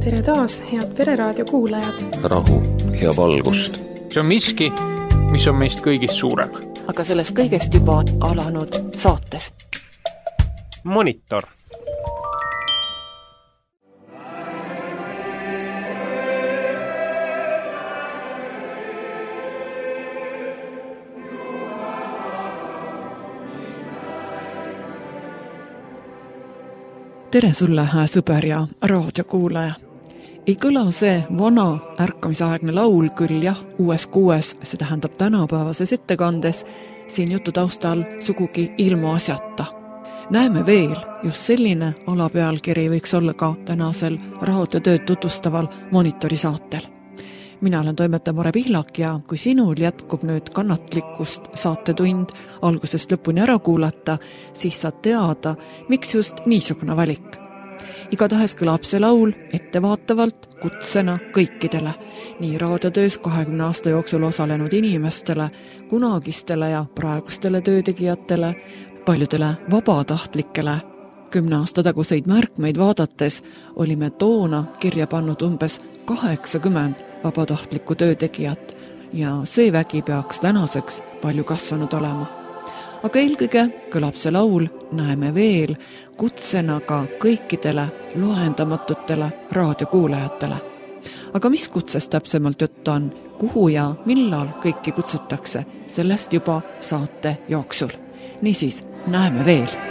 Tere taas, head Pereraadio kuulajad! Rahu ja valgust. See on miski, mis on meist kõigist suurem. Aga sellest kõigest juba alanud saates. Monitor. Tere sulle, hää sõber ja raadiokuulaja. Ei kõla see vana ärkamisaegne laul küll jah, uues kuues, see tähendab tänapäevases ettekandes, siin jutu taustal sugugi ilma asjata. Näeme veel, just selline alapealkiri võiks olla ka tänasel raadiotööd tutvustaval Monitori saatel. Mina olen toimetaja Mare Pihlak ja kui sinul jätkub nüüd kannatlikkust saatetund algusest lõpuni ära kuulata, siis saad teada, miks just niisugune valik. Igatahes kõlab see laul ettevaatavalt kutsena kõikidele, nii raadiotöös 20 aasta jooksul osalenud inimestele, kunagistele ja praegustele töötegijatele, paljudele vabatahtlikele. 10 aasta taguseid märkmeid vaadates olime toona kirja pannud umbes 80 vabatahtlikku töötegijat ja see vägi peaks tänaseks palju kasvanud olema. Aga eelkõige kõlab see laul, näeme veel, kutsena ka kõikidele loendamatutele raadiokuulajatele. Aga mis kutsest täpsemalt jutt on, kuhu ja millal kõiki kutsutakse, sellest juba saate jooksul. Niisiis, näeme veel.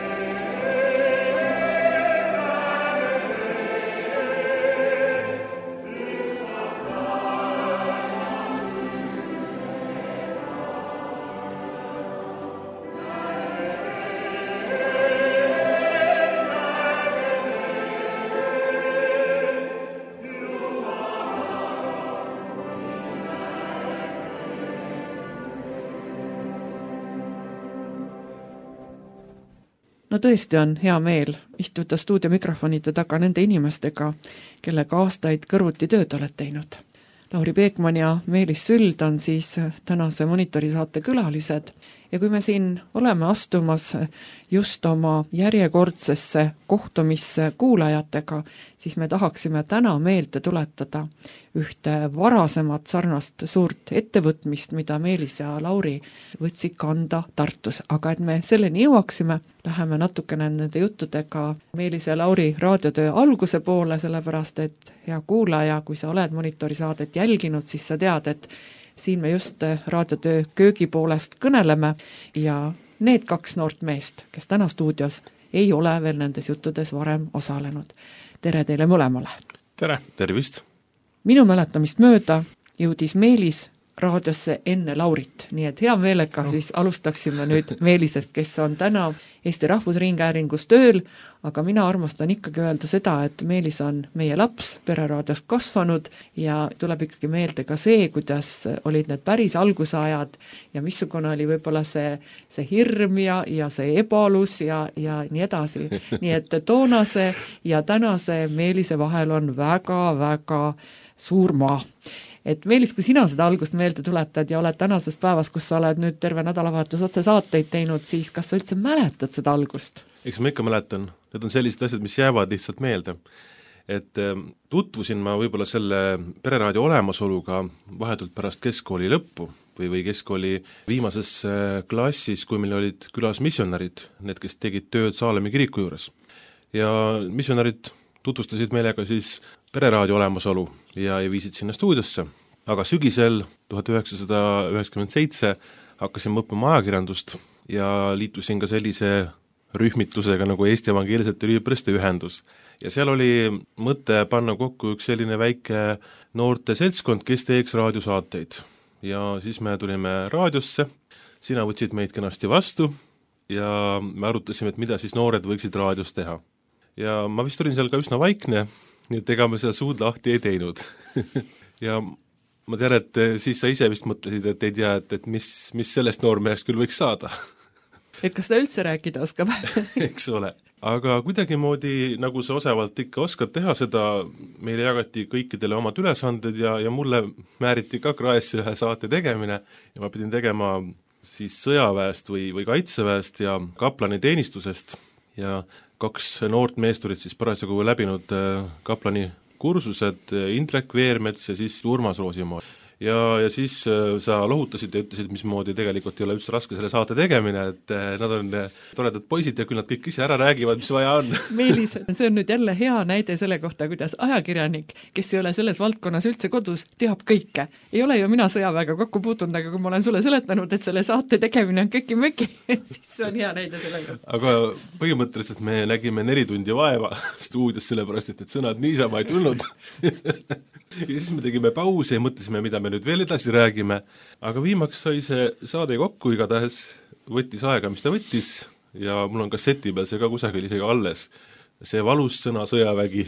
No tõesti on hea meel istuda stuudiomikrofonide taga nende inimestega, kellega aastaid kõrvuti tööd oled teinud. Lauri Peekman ja Meelis Süld on siis tänase Monitori saate külalised ja kui me siin oleme astumas just oma järjekordsesse kohtumisse kuulajatega, siis me tahaksime täna meelde tuletada ühte varasemat sarnast suurt ettevõtmist, mida Meelis ja Lauri võtsid kanda Tartus. Aga et me selleni jõuaksime, läheme natukene nende juttudega Meelis ja Lauri raadiotöö alguse poole, sellepärast et hea kuulaja, kui sa oled Monitori saadet jälginud, siis sa tead, et siin me just raadiotöö köögi poolest kõneleme ja need 2 noort meest, kes täna stuudios ei ole veel nendes juttudes varem osalenud. Tere teile mõlemale! Tere! Tervist! Minu mäletamist mööda jõudis Meelis raadiosse enne Laurit, nii et hea meelega siis alustaksime nüüd Meelisest, kes on täna Eesti Rahvusringhäälingus tööl, aga mina armastan ikkagi öelda seda, et Meelis on meie laps, Pereraadiost kasvanud ja tuleb ikkagi meelde ka see, kuidas olid need päris algusajad ja missugune oli võib-olla see hirm ja see ebalus ja nii edasi. Nii et toonase ja tänase Meelise vahel on väga-väga suur maa. Et Meelis, kui sina seda algust meelde tuletad ja oled tänases päevas, kus sa oled nüüd terve nädalavahetus otse saateid teinud, siis kas sa üldse mäletad seda algust? Eks ma ikka mäletan. Need on sellised asjad, mis jäävad lihtsalt meelde. Et tutvusin ma võib-olla selle Pereraadio olemasoluga vahetult pärast keskkooli lõppu või keskkooli viimases klassis, kui meil olid külas missionarid, need, kes tegid tööd Saalemi kiriku juures. Ja missionarid tutvustasid meelega siis Pereraadio olemasolu ja viisid sinna stuudiosse. Aga sügisel 1997 hakkasin õppima ajakirjandust ja liitusin ka sellise rühmitlusega nagu Eesti Evangeelsete Üliõpilaste Ühendus. Ja seal oli mõte panna kokku üks selline väike noorte seltskond, kes teeks raadiosaateid. Ja siis me tulime raadiosse, sina võtsid meid kenasti vastu ja me arutasime, et mida siis noored võiksid raadios teha. Ja ma vist olin seal ka üsna vaikne, nii et ega me seda suud lahti ei teinud. Ja ma tean, et siis sa ise vist mõtlesid, et ei tea, et mis sellest noormehest küll võiks saada. Et kas ta üldse rääkida oskab? Eks ole. Aga kuidagimoodi, nagu sa osavalt ikka oskad teha seda, meile jagati kõikidele omad ülesanded ja mulle määriti ka kraesse ühe saate tegemine ja ma pidin tegema siis sõjaväest või kaitseväest ja kaplani teenistusest ja 2 noort meest olid siis parasjagu läbinud kaplani kursused, Indrek Veermets ja siis Urmas Roosimaa. Ja siis sa lohutasid ja ütlesid, mismoodi tegelikult ei ole üldse raske selle saate tegemine, et nad on toredad poisid ja küll nad kõik ise ära räägivad, mis vaja on. Meelis, see on nüüd jälle hea näide selle kohta, kuidas ajakirjanik, kes ei ole selles valdkonnas üldse kodus, teab kõike. Ei ole ju mina sõjaväega kokku puutunud, aga kui ma olen sulle seletanud, et selle saate tegemine on köki-möki, siis see on hea näide selle kohta. Aga põhimõtteliselt me nägime 4 tundi vaeva stuudios, sellepärast et sõnad niisama ei tulnud. Ja siis me tegime pause ja mõtlesime, mida me nüüd veel edasi räägime, aga viimaks sai see saade kokku, igatahes võttis aega, mis ta võttis ja mul on kasseti peal see ka kusagil isegi alles. See valus sõna sõjavägi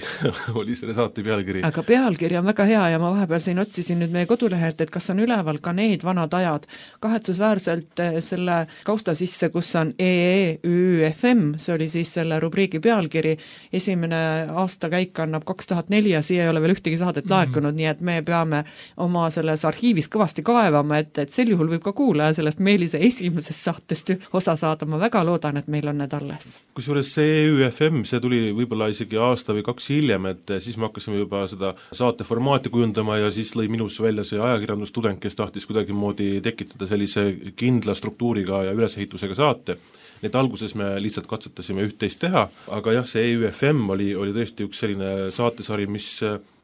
oli selle saate pealkiri. Aga pealkiri on väga hea ja ma vahepeal siin otsisin nüüd meie kodulehelt, et kas on üleval ka need vanad ajad. Kahetsusväärselt selle kausta sisse, kus on EEÜFM, see oli siis selle rubriigi pealkiri, esimene aastakäik annab 2004 ja siia ei ole veel ühtegi saadet laekunud, nii et me peame oma selles arhiivis kõvasti kaevama, et sel juhul võib ka kuulaja sellest Meelise esimesest saatest osa saada, ma väga loodan, et meil on need alles. Kusjuures see EÜFM, see tuli võib-olla isegi aasta või 2 hiljem, et siis me hakkasime juba seda saate formaati kujundama ja siis lõi minus välja see ajakirjandustudeng, kes tahtis kuidagi moodi tekitada sellise kindla struktuuriga ja ülesehitusega saate. Need alguses me lihtsalt katsetasime üht-teist teha, aga jah, see EÜFM oli tõesti üks selline saatesari, mis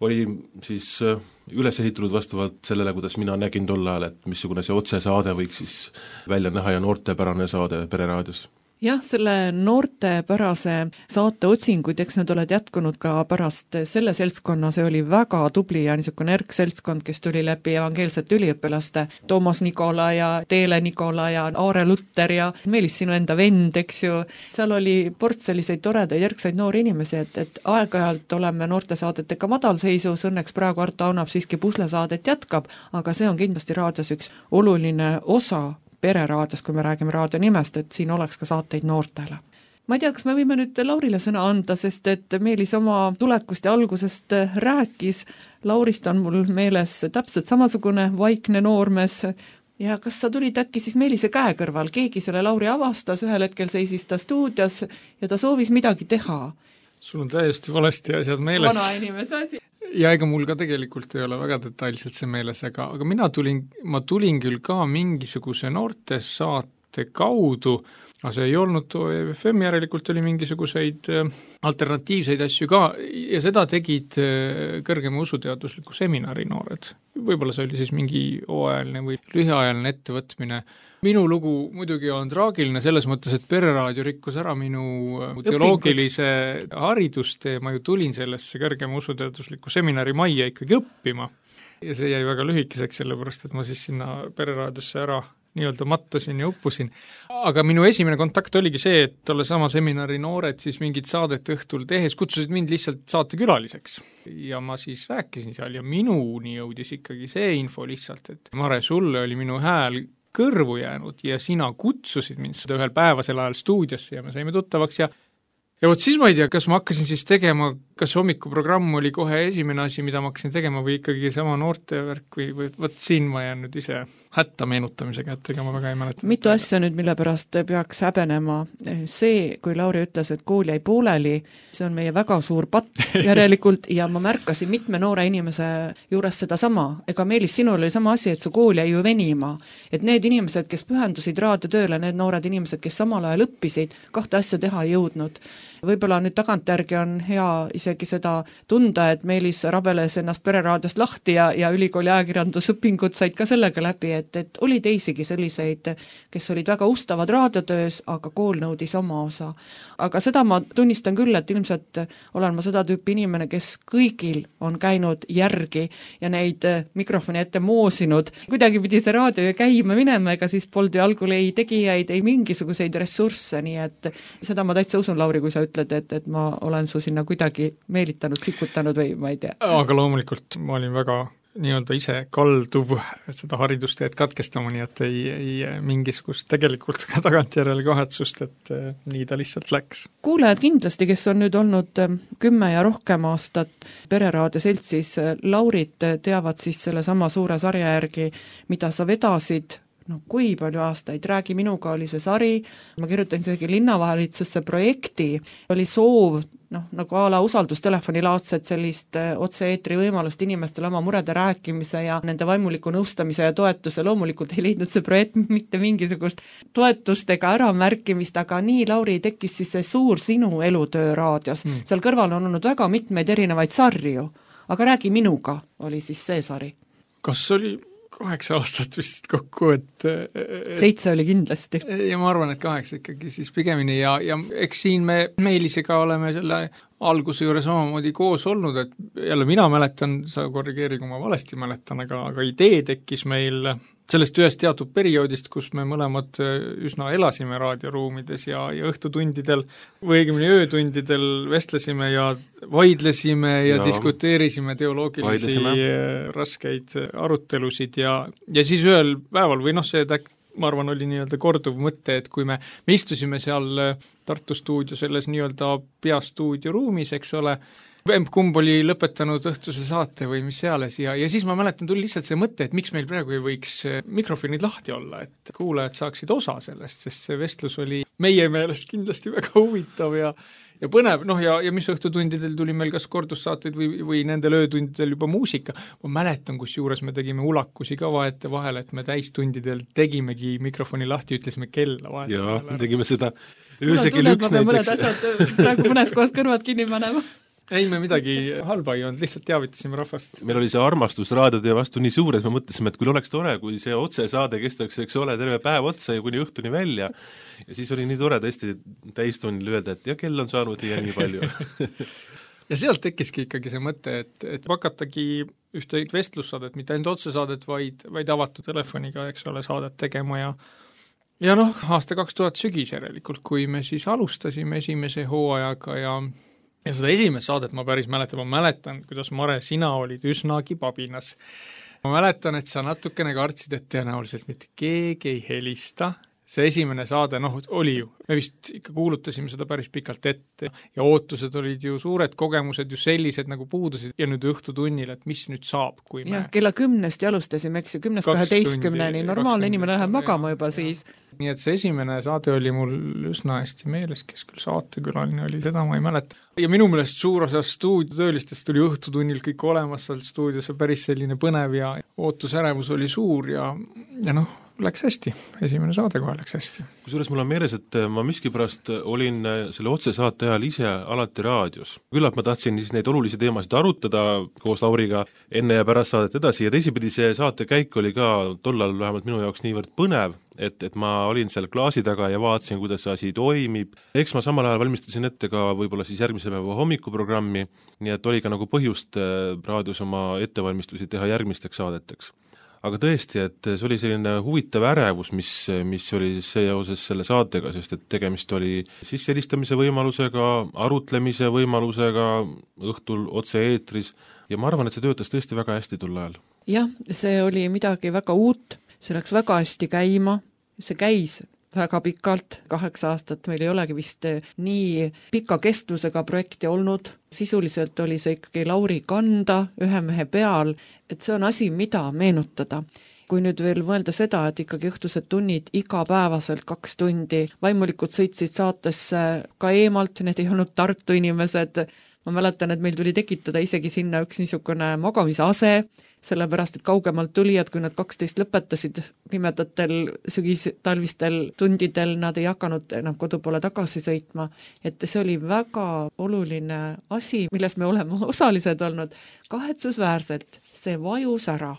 oli siis üles ehitunud vastavalt sellele, kuidas mina nägin tol ajal, et missugune see otsesaade võiks siis välja näha ja noortepärane saade Pereraadios. Jah, selle noortepärase saate otsinguid, eks nad oled jätkunud ka pärast selle seltskonna, see oli väga tubli ja niisugune erkseltskond, kes tuli läbi evangeelsete üliõpilaste, Toomas Nikola ja Teele Nikola ja Aare Lutter ja Meelis sinu enda vend, eks ju, seal oli port selliseid toredaid erksaid noori inimesi, et aeg-ajalt oleme noortesaadetega madalseisus, õnneks praegu Arto Aunap siiski puslesaadet jätkab, aga see on kindlasti raadios üks oluline osa Pereraadios, kui me räägime raadio nimest, et siin oleks ka saateid noortele. Ma ei tea, kas me võime nüüd Laurile sõna anda, sest et Meelis oma tulekust ja algusest rääkis, Laurist on mul meeles täpselt samasugune vaikne noormees ja kas sa tulid äkki siis Meelise käe kõrval, keegi selle Lauri avastas, ühel hetkel seisis ta stuudios ja ta soovis midagi teha. Sul on täiesti valesti asjad meeles. Vana inimese asi. Ja ega mul ka tegelikult ei ole väga detailselt see meeles, aga ma tulin küll ka mingisuguse noortesaate kaudu, aga see ei olnud FM, järelikult oli mingisuguseid alternatiivseid asju ka ja seda tegid kõrgema usuteadusliku seminari noored. Võib-olla see oli siis mingi hooajaline või lühiajaline ettevõtmine. Minu lugu muidugi on traagiline selles mõttes, et Pereraadio rikkus ära minu teoloogilise haridustee, ma ju tulin sellesse kõrgema usuteadusliku seminari majja ikkagi õppima ja see jäi väga lühikeseks, sellepärast et ma siis sinna Pereraadiosse ära nii-öelda mattusin ja uppusin. Aga minu esimene kontakt oligi see, et tolle sama seminari noored siis mingit saadet õhtul tehes kutsusid mind lihtsalt saatekülaliseks. Ja ma siis rääkisin seal ja minuni jõudis ikkagi see info lihtsalt, et Mare, sulle oli minu hääl kõrvu jäänud ja sina kutsusid mind seda ühel päevasel ajal stuudiosse ja me saime tuttavaks ja vot siis ma ei tea, kas ma hakkasin siis tegema, kas hommikuprogramm oli kohe esimene asi, mida ma hakkasin tegema või ikkagi sama noortevärk või vot siin ma jään nüüd ise hätta meenutamisega, et ega ma väga ei mäleta. Mitu asja nüüd, mille pärast peaks häbenema. See, kui Lauri ütles, et kool jäi pooleli, see on meie väga suur patt järelikult ja ma märkasin mitme noore inimese juures seda sama. Ega Meelis, sinul oli sama asi, et su kool jäi ju venima. Et need inimesed, kes pühendusid raadiotööle, need noored inimesed, kes samal ajal õppisid, 2 asja teha ei jõudnud. Võib-olla nüüd tagantjärgi on hea isegi seda tunda, et Meelis rabeles ennast Pereraadiost lahti ja ülikooli ajakirjandusõpingud said ka sellega läbi, et oli teisigi selliseid, kes olid väga ustavad raadiotöös, aga kool nõudis oma osa. Aga seda ma tunnistan küll, et ilmselt olen ma seda tüüpi inimene, kes kõigil on käinud järgi ja neid mikrofoni ette moosinud. Kuidagi pidi see raadio käima minema, ega siis polnud ju algul ei tegijaid, ei mingisuguseid ressursse, nii et seda ma täitsa usun, Lauri, kui sa ütled, et ma olen su sinna kuidagi meelitanud, sikutanud või ma ei tea. Aga loomulikult ma olin väga nii-öelda ise kalduv seda haridusteed katkestama, nii et ei mingisugust tegelikult ka tagantjärele kahetsust, et nii ta lihtsalt läks. Kuulajad kindlasti, kes on nüüd olnud 10 ja rohkem aastat Pereraadio seltsis Laurit, teavad siis selle sama suure sarja järgi, mida sa vedasid, kui palju aastaid, Räägi minuga oli see sari, ma kirjutasin isegi linnavalitsusse projekti, oli soov nagu a la usaldustelefoni laadset sellist otse-eetri võimalust inimestele oma murede rääkimise ja nende vaimuliku nõustamise ja toetuse, loomulikult ei leidnud see projekt mitte mingisugust toetust ega äramärkimist, aga nii, Lauri, tekkis siis see suur sinu elutöö raadios. Seal kõrval on olnud väga mitmeid erinevaid sarju, aga Räägi minuga oli siis see sari. Kas oli 8 aastat vist kokku, et 7 oli kindlasti. Ja ma arvan, et 8 ikkagi siis pigemini ja eks siin me Meelisega oleme selle alguse juures omamoodi koos olnud, et jälle mina mäletan, sa korrigeeri, kui ma valesti mäletan, aga idee tekkis meil sellest ühest teatud perioodist, kus me mõlemad üsna elasime raadioruumides ja õhtutundidel või õigemini öötundidel vestlesime ja vaidlesime ja diskuteerisime teoloogilisi raskeid arutelusid ja siis ühel päeval või see ma arvan, oli nii-öelda korduv mõte, et kui me istusime seal Tartu stuudio selles nii-öelda peastuudio ruumis, eks ole, kumb oli lõpetanud õhtuse saate või mis seales ja siis ma mäletan, tuli lihtsalt see mõte, et miks meil praegu ei võiks mikrofonid lahti olla, et kuulajad saaksid osa sellest, sest see vestlus oli meie meelest kindlasti väga huvitav ja põnev, ja mis õhtutundidel tuli meil kas kordussaateid või nendel öötundidel juba muusika. Ma mäletan, kus juures me tegime ulakusi ka vaete vahel, et me täistundidel tegimegi mikrofoni lahti, ütlesime kella vahet. Jaa, me tegime seda ööse kell 1 näiteks. Praegu mõnes kohas kõrvad kinni panema. Ei, me midagi halba ei olnud, lihtsalt teavitasime rahvast. Meil oli see armastus raadiotöö vastu nii suur, et me mõtlesime, et kui oleks tore, kui see otsesaade kestaks, eks ole, terve päev otsa ja kuni õhtuni välja. Ja siis oli nii tore tõesti täistunnil öelda, et ja kell on saanud nii palju. Ja sealt tekkiski ikkagi see mõte, et hakatagi ühte vestlussaadet, mitte ainult otsesaadet, vaid avatud telefoniga, eks ole, saadet tegema ja aasta 2000 sügis järelikult, kui me siis alustasime esimese hooajaga ja seda esimest saadet ma päris mäletan, kuidas Mare, sina olid üsnagi pabinas. Ma mäletan, et sa natukene kartsid, et tõenäoliselt mitte keegi ei helista. See esimene saade, oli ju, me vist ikka kuulutasime seda päris pikalt ette ja ootused olid ju suured, kogemused ju sellised nagu puudusid ja nüüd õhtutunnil, et mis nüüd saab, kui me... Jah, kella 10 alustasime, eks ju, 10-12, normaalne inimene läheb magama juba siis. Nii et see esimene saade oli mul üsna hästi meeles, kes küll saatekülaline oli, seda ma ei mäleta. Ja minu meelest suur osa stuudiotöölistest tuli õhtutunnil kõik olemas seal stuudios, päris selline põnev ja ootusärevus oli suur ja läks hästi, esimene saade kohe läks hästi. Kusjuures mul on meeles, et ma miskipärast olin selle otsesaate ajal ise alati raadios. Küllap ma tahtsin siis neid olulisi teemasid arutada koos Lauriga enne ja pärast saadet edasi ja teisipidi see saate käik oli ka tollal vähemalt minu jaoks niivõrd põnev, et ma olin seal klaasi taga ja vaatasin, kuidas see asi toimib. Eks ma samal ajal valmistasin ette ka võib-olla siis järgmise päeva hommikuprogrammi, nii et oli ka nagu põhjust raadios oma ettevalmistusi teha järgmisteks saadeteks. Aga tõesti, et see oli selline huvitav ärevus, mis oli seoses selle saatega, sest et tegemist oli sisselistamise võimalusega, arutlemise võimalusega, õhtul otse-eetris ja ma arvan, et see töötas tõesti väga hästi tol ajal. Jah, see oli midagi väga uut, see läks väga hästi käima, see käis väga pikalt, 8 aastat meil ei olegi vist nii pika kestlusega projekti olnud, sisuliselt oli see ikkagi Lauri kanda ühe mehe peal, et see on asi, mida meenutada. Kui nüüd veel mõelda seda, et ikkagi õhtused tunnid igapäevaselt 2 tundi, vaimulikud sõitsid saatesse ka eemalt, need ei olnud Tartu inimesed, ma mäletan, et meil tuli tekitada isegi sinna üks niisugune magamisase, sellepärast, et kaugemalt tulijad, kui nad 12 lõpetasid pimedatel sügis-talvistel tundidel, nad ei hakanud enam kodu poole tagasi sõitma. Et see oli väga oluline asi, milles me oleme osalised olnud. Kahetsusväärselt see vajus ära.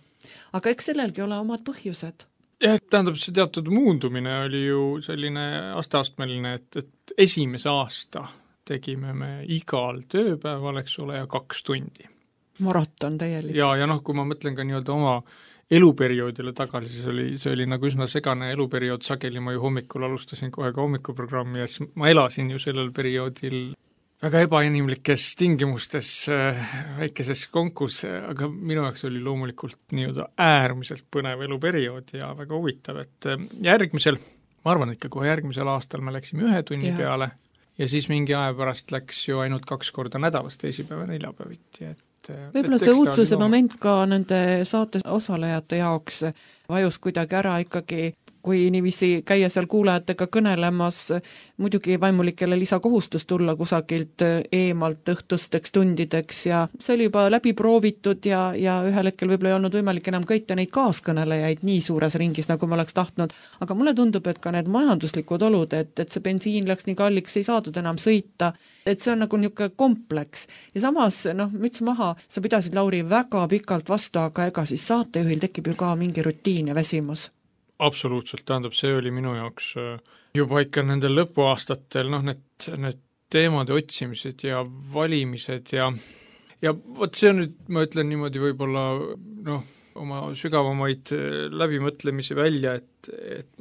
Aga eks sellelgi ole omad põhjused. Ja, tähendab, see teatud muundumine oli ju selline asteastmeline, et esimese aasta tegime me igal tööpäeval, eks ole, ja 2 tundi. Maraton täielik. Ja kui ma mõtlen ka nii-öelda oma eluperioodile tagasi, see oli nagu üsna segane eluperiood, sageli ma ju hommikul alustasin kohe ka hommikuprogrammi ja siis ma elasin ju sellel perioodil väga ebainimlikes tingimustes, väikeses konkus, aga minu jaoks oli loomulikult nii-öelda äärmiselt põnev eluperiood ja väga huvitav, et järgmisel, ma arvan, et kohe järgmisel aastal me läksime 1 tunni peale ja siis mingi aja pärast läks ju ainult 2 korda nädalast, teisipäev ja neljapäeviti, võib-olla see uudsuse moment ka nende saate osalejate jaoks vajus kuidagi ära ikkagi kui niiviisi käia seal kuulajatega kõnelemas, muidugi vaimulikele lisakohustus tulla kusagilt eemalt õhtusteks tundideks ja see oli juba läbi proovitud ja ühel hetkel võib-olla ei olnud võimalik enam kõita neid kaaskõnelejaid nii suures ringis, nagu ma oleks tahtnud, aga mulle tundub, et ka need majanduslikud olud, et see bensiin läks nii kalliks, ei saadud enam sõita, et see on nagu niisugune kompleks. Ja samas, müts maha, sa pidasid, Lauri, väga pikalt vastu, aga ega siis saatejuhil tekib ju ka mingi rutiin ja väsimus. Absoluutselt, tähendab, see oli minu jaoks juba ikka nendel lõpuaastatel, need teemade otsimised ja valimised ja vot see on nüüd, ma ütlen niimoodi võib-olla oma sügavamaid läbimõtlemisi välja, et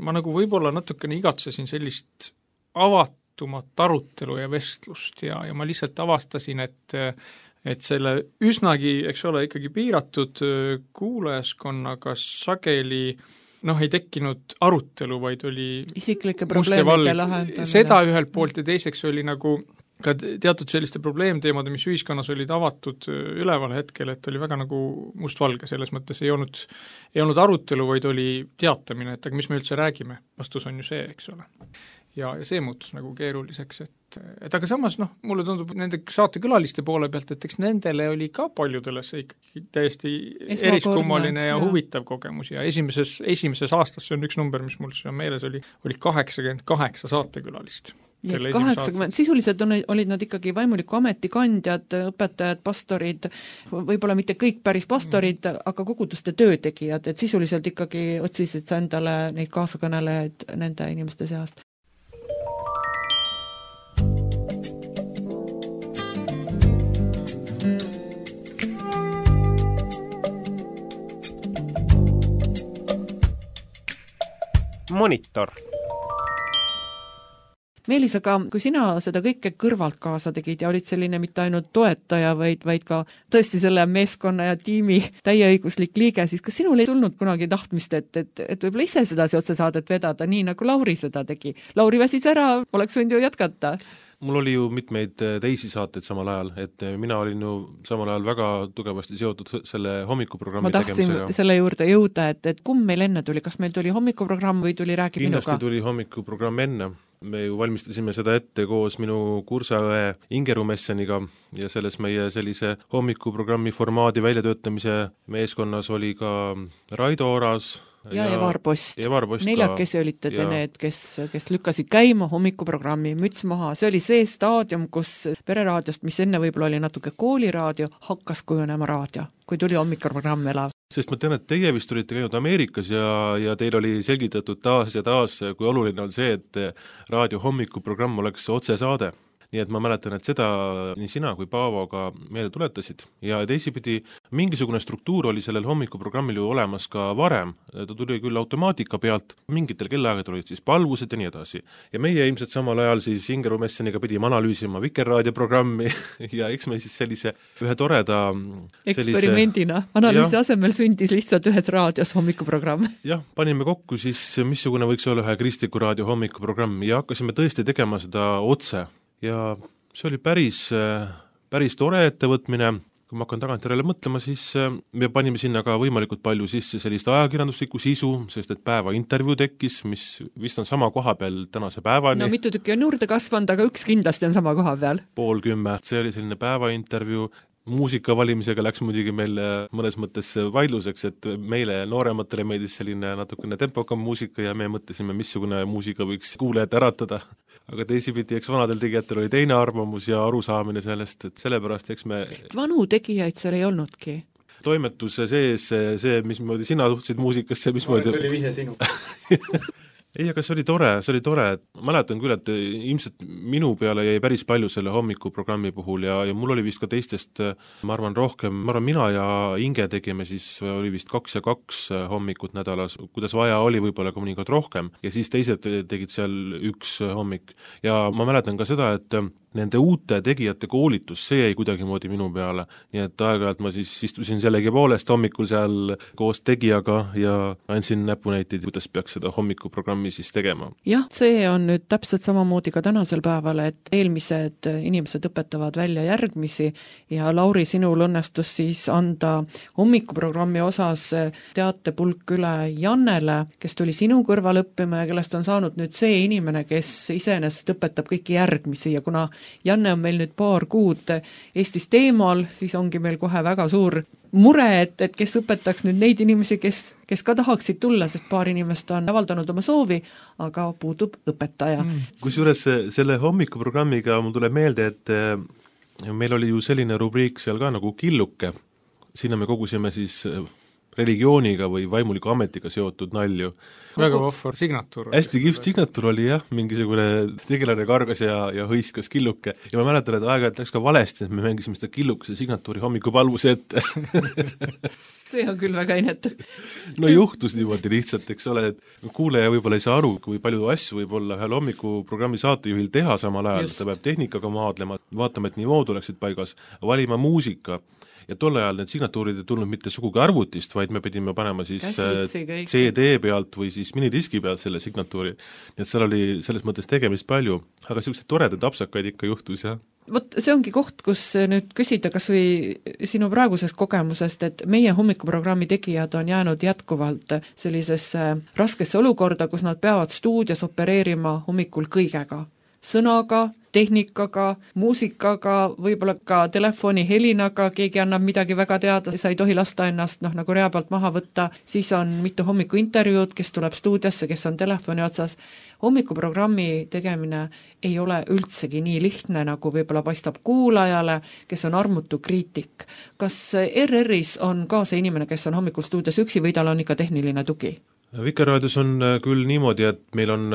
ma nagu võib-olla natukene igatsesin sellist avatumat arutelu ja vestlust ja ma lihtsalt avastasin, et selle üsnagi, eks ole, ikkagi piiratud kuulajaskonnaga sageli ei tekkinud arutelu, vaid oli isiklike probleemide lahendamine. Seda ühelt poolt ja teiseks oli nagu ka teatud selliste probleemteemade, mis ühiskonnas olid avatud üleval hetkel, et oli väga nagu mustvalge, selles mõttes ei olnud arutelu, vaid oli teatamine, et aga mis me üldse räägime, vastus on ju see, eks ole. Ja see muutus nagu keeruliseks, et aga samas mulle tundub nende saatekülaliste poole pealt, et eks nendele oli ka paljudele see ikkagi täiesti eriskummaline ja huvitav kogemus ja esimeses aastas, see on üks number, mis mul on meeles, oli 88 saatekülalist. 80, sisuliselt olid nad ikkagi vaimuliku ametikandjad, õpetajad, pastorid, võib-olla mitte kõik päris pastorid, aga koguduste töötegijad, et sisuliselt ikkagi otsisid sa endale neid kaasakõnelejaid nende inimeste seast. Monitor. Meelis, aga kui sina seda kõike kõrvalt kaasa tegid ja olid selline mitte ainult toetaja, vaid ka tõesti selle meeskonna ja tiimi täieõiguslik liige, siis kas sinul ei tulnud kunagi tahtmist, et võib-olla ise sedasi otsesaadet vedada, nii nagu Lauri seda tegi? Lauri väsis ära, oleks võinud ju jätkata. Mul oli ju mitmeid teisi saateid samal ajal, et mina olin ju samal ajal väga tugevasti seotud selle hommikuprogrammi tegemisega. Ma tahtsin selle juurde jõuda, et kumb meil enne tuli, kas meil tuli hommikuprogramm või tuli Räägi minuga? Kindlasti tuli hommikuprogramm enne. Me ju valmistasime seda ette koos minu kursaõe Ingeru Messeniga ja selles meie sellise hommikuprogrammi formaadi väljatöötamise meeskonnas oli ka Raido Oras ja Evar Post. Neljakesi olite te need, kes lükkasid käima hommikuprogrammi müts maha. See oli see staadium, kus pereraadiost, mis enne võib-olla oli natuke kooliraadio, hakkas kujunema raadio, kui tuli hommikuprogramm elav. Sest ma tean, et teie vist olite käinud Ameerikas ja teil oli selgitatud taas ja taas, kui oluline on see, et raadio hommikuprogramm oleks otsesaade. Nii et ma mäletan, et seda nii sina kui Paavo ka meelde tuletasid. Ja teisipidi mingisugune struktuur oli sellel hommikuprogrammil ju olemas ka varem. Ta tuli küll automaatika pealt, mingitel kellaaegad olid siis palvused ja nii edasi. Ja meie ilmselt samal ajal siis Ingeru Messeniga pidime analüüsima Vikerraadio programmi ja eks me siis sellise ühe toreda eksperimendina. Analüüsi asemel sündis lihtsalt ühes raadios hommikuprogramm. Jah, panime kokku siis, missugune võiks olla ühe kristliku raadio hommikuprogramm ja hakkasime tõesti tegema seda otse. Ja see oli päris tore ettevõtmine. Kui ma hakkan tagantjärele mõtlema, siis me panime sinna ka võimalikult palju sisse sellist ajakirjanduslikku sisu, sest et päeva intervjuu tekkis, mis vist on sama koha peal tänase päevani. No mitu tükki on juurde kasvanud, aga üks kindlasti on sama koha peal. 9:30, see oli selline päeva intervjuu. Muusika valimisega läks muidugi meil mõnes mõttes vaidluseks, et meile noorematele meeldis selline natukene tempokam muusika ja me mõtlesime, missugune muusika võiks kuulajat äratada. Aga teisipidi, eks vanadel tegijatel oli teine arvamus ja arusaamine sellest, et sellepärast eks me... Vanu tegijaid seal ei olnudki. Toimetuse sees see, mismoodi sina suhtsid muusikasse, mismoodi... Oli vihje sinu. Ei, aga see oli tore, et ma mäletan küll, et ilmselt minu peale jäi päris palju selle hommikuprogrammi puhul ja mul oli vist ka teistest, ma arvan mina ja Inge tegime siis, oli vist 2 ja 2 hommikut nädalas, kuidas vaja oli võib-olla mõnikord rohkem ja siis teised tegid seal 1 hommik ja ma mäletan ka seda, et nende uute tegijate koolitus, see jäi kuidagimoodi minu peale, nii et aeg-ajalt ma siis istusin sellegi poolest hommikul seal koos tegijaga ja andsin näpunäiteid, kuidas peaks seda hommikuprogrammi siis tegema. Jah, see on nüüd täpselt samamoodi ka tänasel päeval, et eelmised inimesed õpetavad välja järgmisi ja Lauri, sinul õnnestus siis anda hommikuprogrammi osas teatepulk üle Jannele, kes tuli sinu kõrval õppima ja kellest on saanud nüüd see inimene, kes iseenesest õpetab kõiki järgmisi ja kuna Janne on meil nüüd paar kuud Eestist eemal, siis ongi meil kohe väga suur mure, et kes õpetaks nüüd neid inimesi, kes ka tahaksid tulla, sest paar inimest on avaldanud oma soovi, aga puudub õpetaja. Kusjuures selle hommikuprogrammiga mul tuleb meelde, et meil oli ju selline rubriik seal ka nagu killuke, sinna me kogusime siis religiooniga või vaimuliku ametiga seotud nalju. Väga vahvar signatuur. Hästi kihvt signatuur oli jah, mingisugune tegelane kargas ja hõiskas killuke ja ma mäletan, et aeg-ajalt läks ka valesti, et me mängisime seda killukese signatuuri hommikupalvuse ette. See on küll väga inetu. No juhtus niimoodi lihtsalt, eks ole, et kuulaja võib-olla ei saa aru, kui palju asju võib olla ühel hommikuprogrammi saatejuhil teha samal ajal, ta peab tehnikaga maadlema, vaatama, et nivood oleksid paigas, valima muusika. Ja tol ajal need signatuurid ei tulnud mitte sugugi arvutist, vaid me pidime panema siis CD pealt või siis minidiski pealt selle signatuuri. Nii et seal oli selles mõttes tegemist palju, aga sellised toredad apsakaid ikka juhtus, jah. Vot see ongi koht, kus nüüd küsida kas või sinu praegusest kogemusest, et meie hommikuprogrammi tegijad on jäänud jätkuvalt sellisesse raskesse olukorda, kus nad peavad stuudios opereerima hommikul kõigega. Sõnaga, tehnikaga, muusikaga, võib-olla ka telefoni helinaga, keegi annab midagi väga teada, sa ei tohi lasta ennast nagu rea pealt maha võtta, siis on mitu hommikuintervjuud, kes tuleb stuudiosse, kes on telefoni otsas. Hommikuprogrammi tegemine ei ole üldsegi nii lihtne, nagu võib-olla paistab kuulajale, kes on armutu kriitik. Kas RR-is on ka see inimene, kes on hommikul stuudios üksi või tal on ikka tehniline tugi? Vikerraadios on küll niimoodi, et meil on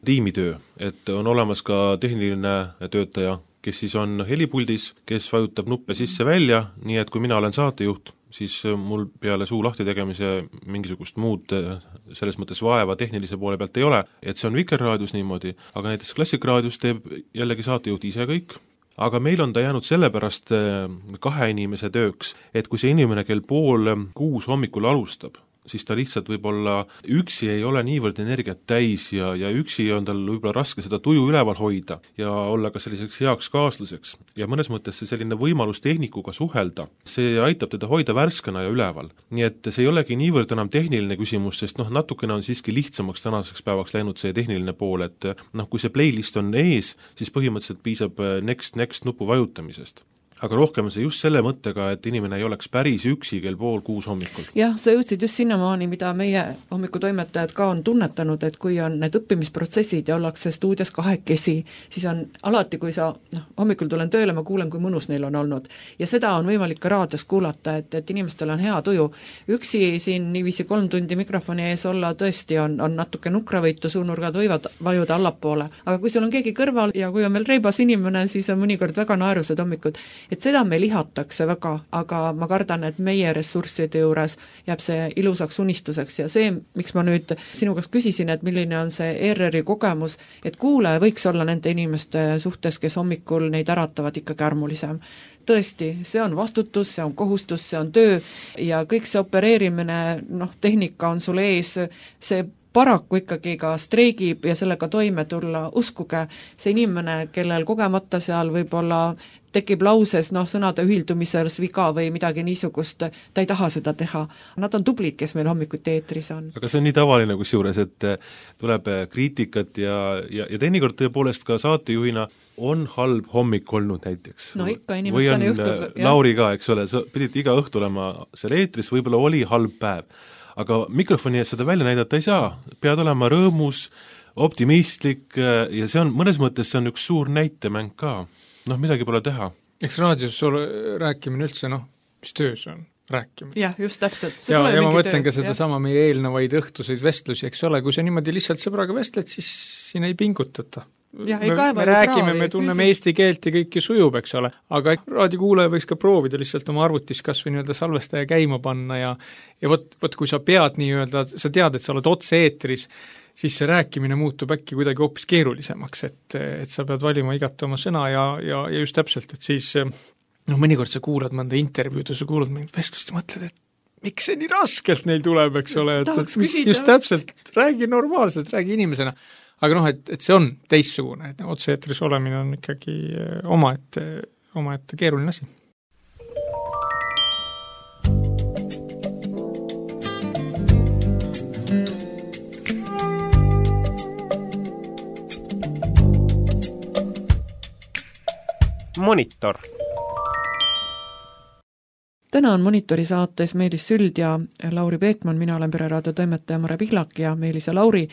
tiimitöö, et on olemas ka tehniline töötaja, kes siis on helipuldis, kes vajutab nuppe sisse-välja, nii et kui mina olen saatejuht, siis mul peale suu lahti tegemise mingisugust muud selles mõttes vaeva tehnilise poole pealt ei ole, et see on Vikerraadios niimoodi, aga näiteks Klassikraadios teeb jällegi saatejuht ise kõik, aga meil on ta jäänud sellepärast 2 inimese tööks, et kui see inimene kell 5:30 hommikul alustab, siis ta lihtsalt võib-olla üksi ei ole niivõrd energiat täis ja üksi on tal võib-olla raske seda tuju üleval hoida ja olla ka selliseks heaks kaaslaseks. Ja mõnes mõttes see selline võimalus tehnikuga suhelda, see aitab teda hoida värskena ja üleval. Nii et see ei olegi niivõrd enam tehniline küsimus, sest natukene on siiski lihtsamaks tänaseks päevaks läinud see tehniline pool, et kui see playlist on ees, siis põhimõtteliselt piisab next nupu vajutamisest. Aga rohkem on see just selle mõttega, et inimene ei oleks päris üksi kell 5:30 hommikul. Jah, sa jõudsid just sinnamaani, mida meie hommikutoimetajad ka on tunnetanud, et kui on need õppimisprotsessid ja ollakse stuudios 2, siis on alati, kui sa hommikul tulen tööle, ma kuulen, kui mõnus neil on olnud. Ja seda on võimalik ka raadios kuulata, et inimestel on hea tuju. Üksi siin niiviisi 3 tundi mikrofoni ees olla tõesti on natuke nukravõitu, suunurgad võivad vajuda allapoole. Aga kui sul on keegi kõrval ja kui on meil reibas inimene, siis on mõnikord väga naerused hommikud. Et seda me lihatakse väga, aga ma kardan, et meie ressursside juures jääb see ilusaks unistuseks ja see, miks ma nüüd sinu käest küsisin, et milline on see ERR-i kogemus, et kuulaja võiks olla nende inimeste suhtes, kes hommikul neid äratavad ikkagi armulisem. Tõesti, see on vastutus, see on kohustus, see on töö ja kõik see opereerimine, tehnika on sul ees, see paraku ikkagi ka streigib ja sellega toime tulla, uskuge, see inimene, kellel kogemata seal võib-olla tekib lauses sõnade ühildumises viga või midagi niisugust, ta ei taha seda teha. Nad on tublid, kes meil hommikuti eetris on. Aga see on nii tavaline kusjuures, et tuleb kriitikat ja teinekord tõepoolest ka saatejuhina on halb hommik olnud näiteks. No ikka inimestane juhtub. Lauri ka, eks ole, sa pidid iga õhtu olema seal eetris, võib-olla oli halb päev. Aga mikrofoni ees seda välja näidata ei saa, pead olema rõõmus, optimistlik ja see on, mõnes mõttes see on üks suur näitemäng ka. Midagi pole teha. Eks raadios rääkimine üldse, mis töö see on? Rääkimine. Jah, just täpselt. Ja ma mõtlen ka seda sama meie eelnevaid õhtuseid vestlusi, eks ole, kui sa niimoodi lihtsalt sõbraga vestled, siis siin ei pingutata. me räägime, me tunneme eesti keelt ja kõik ju sujub, eks ole, aga raadiokuulaja võiks ka proovida lihtsalt oma arvutis kas või nii-öelda salvestaja käima panna ja võt, kui sa pead nii-öelda, sa tead, et sa oled otse-eetris, siis see rääkimine muutub äkki kuidagi hoopis keerulisemaks, et sa pead valima igati oma sõna ja just täpselt, et siis mõnikord sa kuulad mõnda intervjuud ja sa kuulad mingit vestlust ja mõtled, et miks see nii raskelt neil tuleb, eks ole, et just täpselt, räägi normaalselt, räägi inimesena. Aga et see on teistsugune, et otse-eetris olemine on ikkagi omaette keeruline asi. Monitor. Täna on Monitori saates Meelis Süld ja Lauri Peekman, mina olen Pereraadio toimetaja Mare Pihlak ja Meelis ja Lauri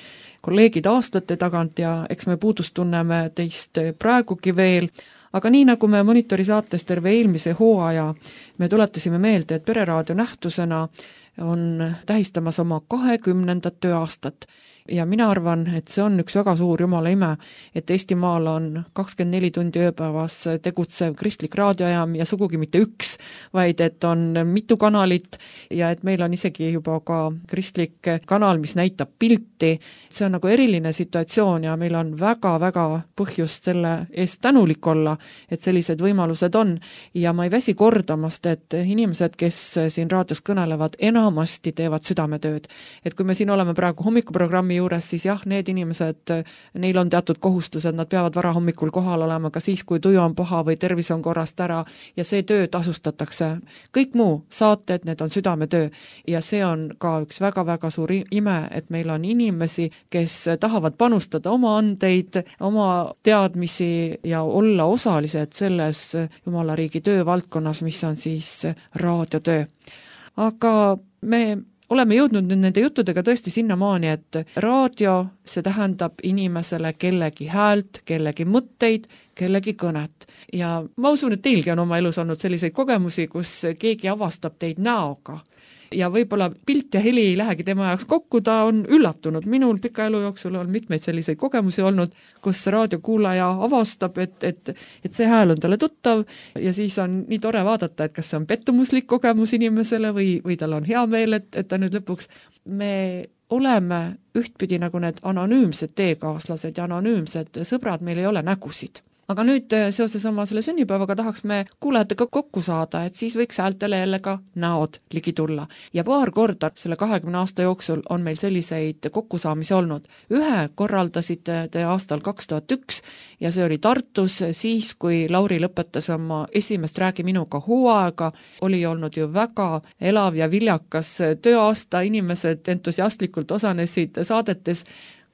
kolleegid aastate tagant ja eks me puudust tunneme teist praegugi veel, aga nii nagu me Monitori saates terve eelmise hooaja, me tuletasime meelde, et Pereraadio nähtusena on tähistamas oma 20. tööaastat. Ja mina arvan, et see on üks väga suur jumala ime, et Eestimaal on 24 tundi ööpäevas tegutsev kristlik raadiojaam ja sugugi mitte üks, vaid et on mitu kanalit ja et meil on isegi juba ka kristlik kanal, mis näitab pilti. See on nagu eriline situatsioon ja meil on väga-väga põhjust selle eest tänulik olla, et sellised võimalused on. Ja ma ei väsi kordamast, et inimesed, kes siin raadios kõnelevad, enamasti teevad südametööd. Et kui me siin oleme praegu hommikuprogrammi juures, siis jah, need inimesed, neil on teatud kohustused, nad peavad vara hommikul kohal olema ka siis, kui tuju on paha või tervis on korrast ära ja see töö tasustatakse. Kõik muu saated, need on südametöö ja see on ka üks väga-väga suur ime, et meil on inimesi, kes tahavad panustada oma andeid, oma teadmisi ja olla osalised selles Jumala riigi töövaldkonnas, mis on siis raadiotöö. Aga me oleme jõudnud nüüd nende juttudega tõesti sinnamaani, et raadio, see tähendab inimesele kellegi häält, kellegi mõtteid, kellegi kõnet. Ja ma usun, et teilgi on oma elus olnud selliseid kogemusi, kus keegi avastab teid näoga. Ja võib-olla pilt ja heli ei lähegi tema jaoks kokku, ta on üllatunud. Minul pika elu jooksul on mitmeid selliseid kogemusi olnud, kus raadiokuulaja avastab, et see hääl on talle tuttav ja siis on nii tore vaadata, et kas see on pettumuslik kogemus inimesele või tal on hea meel, et ta nüüd lõpuks. Me oleme ühtpidi nagu need anonüümsed teekaaslased ja anonüümsed sõbrad, meil ei ole nägusid. Aga nüüd seoses oma selle sünnipäevaga tahaks me kuulajatega kokku saada, et siis võiks häältele jälle ka näod ligi tulla. Ja paar korda selle 20 aasta jooksul on meil selliseid kokkusaamisi olnud. Ühe korraldasite te aastal 2001 ja see oli Tartus siis, kui Lauri lõpetas oma esimest Räägi minuga hooaega, oli olnud ju väga elav ja viljakas tööaasta, inimesed entusiastlikult osanesid saadetes.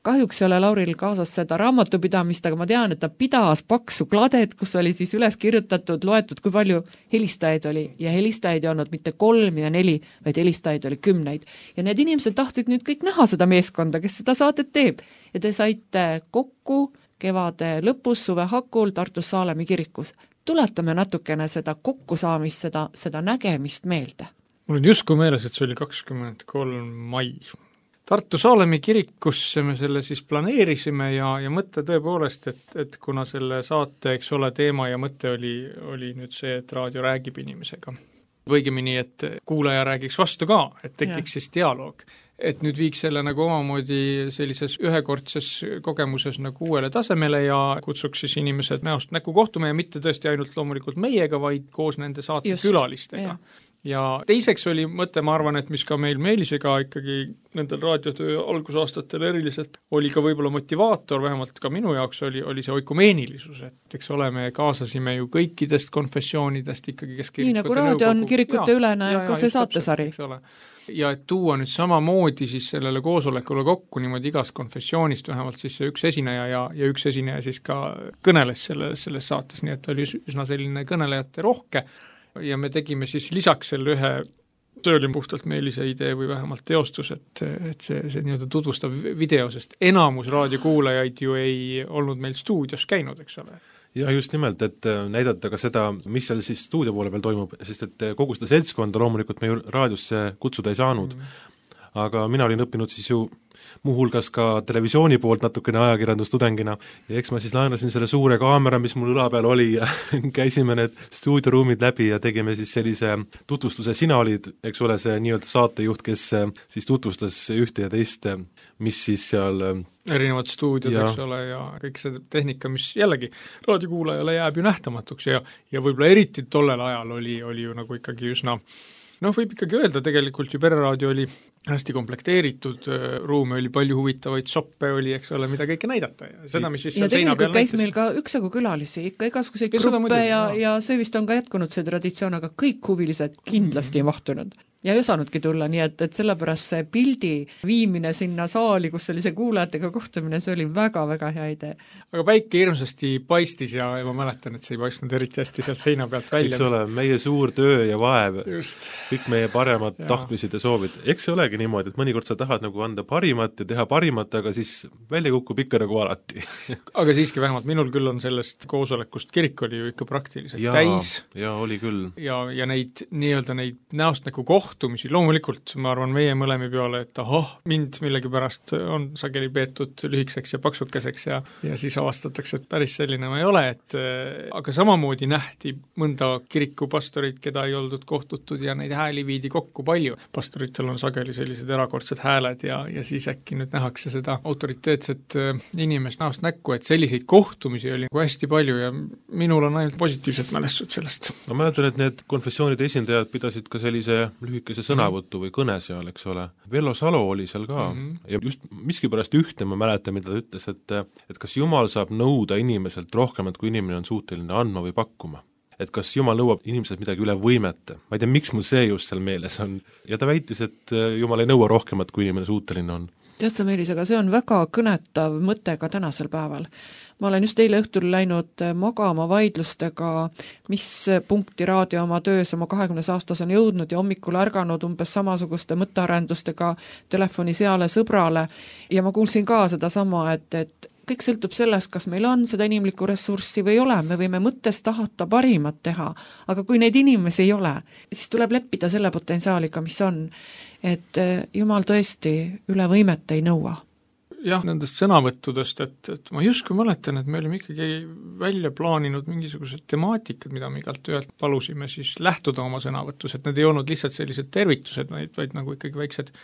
Kahjuks ei ole Lauril kaasas seda raamatupidamist, aga ma tean, et ta pidas paksu kladet, kus oli siis üles kirjutatud, loetud, kui palju helistajaid oli. Ja helistajaid ei olnud mitte 3 ja 4, vaid helistajaid oli 10. Ja need inimesed tahtsid nüüd kõik näha seda meeskonda, kes seda saadet teeb. Ja te saite kokku kevade lõpus, suve hakul Tartus Saalemi kirikus. Tuletame natukene seda kokkusaamist, seda nägemist meelde. Mul on justkui meeles, et see oli 23. mai. Tartu Saalemi kirikusse me selle siis planeerisime ja mõte tõepoolest, et kuna selle saate, eks ole, teema ja mõte oli nüüd see, et raadio räägib inimesega. Õigemini, et kuulaja räägiks vastu ka, et tekiks siis dialoog. Et nüüd viiks selle nagu omamoodi sellises ühekordses kogemuses nagu uuele tasemele ja kutsuks siis inimesed näost näkku kohtuma ja mitte tõesti ainult loomulikult meiega, vaid koos nende saate külalistega. Ja teiseks oli mõte, ma arvan, et mis ka meil Meelisega ikkagi nendel raadiotöö algusaastatel eriliselt oli ka võib-olla motivaator, vähemalt ka minu jaoks oli see oikumeenilisus, et eks ole, me kaasasime ju kõikidest konfessioonidest ikkagi, kes nii nagu raadio on kirikute ülene, ka see saatesari. Ja et tuua nüüd samamoodi siis sellele koosolekule kokku niimoodi igast konfessioonist, vähemalt siis üks esineja ja üks esineja siis ka kõneles selles saates, nii et oli üsna selline kõnelejate rohke. Ja me tegime siis lisaks selle ühe, see oli puhtalt Meelise idee või vähemalt teostus, et see nii-öelda tutvustav video, sest enamus raadiokuulajaid ju ei olnud meil stuudios käinud, eks ole. Ja just nimelt, et näidata ka seda, mis seal siis stuudio poole peal toimub, sest et kogu seda seltskonda loomulikult me ju raadiosse kutsuda ei saanud. aga mina olin õppinud siis ju muuhulgas ka televisiooni poolt natukene ajakirjandustudengina ja eks ma siis laenasin selle suure kaamera, mis mul õla peal oli ja käisime need stuudioruumid läbi ja tegime siis sellise tutvustuse, sina olid, eks ole, see nii-öelda saatejuht, kes siis tutvustas ühte ja teist, mis siis seal erinevad stuudiod, eks ole, ja kõik see tehnika, mis jällegi raadiokuulajale jääb ju nähtamatuks ja võib-olla eriti tollel ajal oli ju nagu ikkagi üsna võib ikkagi öelda, tegelikult ju Pereraadio oli hästi komplekteeritud, ruume oli palju huvitavaid, soppe oli, eks ole, mida kõike näidata ja seda, mis siis ja tegelikult käis meil ka üksjagu külalisi, ikka igasuguseid gruppe ja see vist on ka jätkunud see traditsioon, aga kõik huvilised kindlasti ei mahtunud ja ei osanudki tulla, nii et sellepärast see pildi viimine sinna saali, kus oli see kuulajatega kohtumine, see oli väga-väga hea idee. Aga päike hirmsasti paistis ja ma mäletan, et see ei paistnud eriti hästi sealt seina pealt välja. Eks ole, meie suur töö ja vaev, kõik meie paremad tahtmised ja soovid. Eks see olegi niimoodi, et mõnikord sa tahad nagu anda parimat ja teha parimat, aga siis välja kukub ikka nagu alati. Aga siiski vähemalt minul küll on sellest koosolekust, kirik oli ju ikka praktiliselt täis. Ja oli küll. Ja neid nii-öelda neid näost nagu kohtumisi, loomulikult ma arvan meie mõlemi peale, et mind millegipärast on sageli peetud lühikseks ja paksukeseks ja siis avastatakse, et päris selline ma ei ole, aga samamoodi nähti mõnda kirikupastorit, keda ei oldud kohtutud ja neid hääli viidi kokku palju. Pastoritel on sageli sellised erakordsed hääled ja siis äkki nüüd nähakse seda autoriteetset inimest näost näkku, et selliseid kohtumisi oli hästi palju ja minul on ainult positiivsed mälestused sellest. Ma mäletan, et need konfessioonide esindajad pidasid ka sellise lühikese sõnavõttu või kõne seal, eks ole. Vello Salo oli seal ka ja just miskipärast ühte ma mäletan, mida ta ütles, et kas Jumal saab nõuda inimeselt rohkemat, kui inimene on suuteline andma või pakkuma. Et kas Jumal nõuab inimeselt midagi üle võimete. Ma ei tea, miks mul see just seal meeles on. Ja ta väitis, et Jumal ei nõua rohkemat, kui inimene suuteline on. Tead sa, Meelis, aga see on väga kõnetav mõte ka tänasel päeval. Ma olen just eile õhtul läinud magama vaidlustega, mis punkti raadio oma töös oma 20 aastas on jõudnud ja hommikul ärganud umbes samasuguste mõttearendustega telefoni seale sõbrale ja ma kuulsin ka seda sama, et kõik sõltub sellest, kas meil on seda inimlikku ressurssi või ei ole, me võime mõttes tahata parimat teha, aga kui neid inimesi ei ole, siis tuleb leppida selle potentsiaaliga, mis on, et Jumal tõesti üle võimet ei nõua. Jah, nendest sõnavõttudest, et ma just kui mäletan, et me olime ikkagi välja plaaninud mingisugused temaatikad, mida me igalt ühelt palusime siis lähtuda oma sõnavõtus, et need ei olnud lihtsalt sellised tervitused, vaid nagu ikkagi väiksed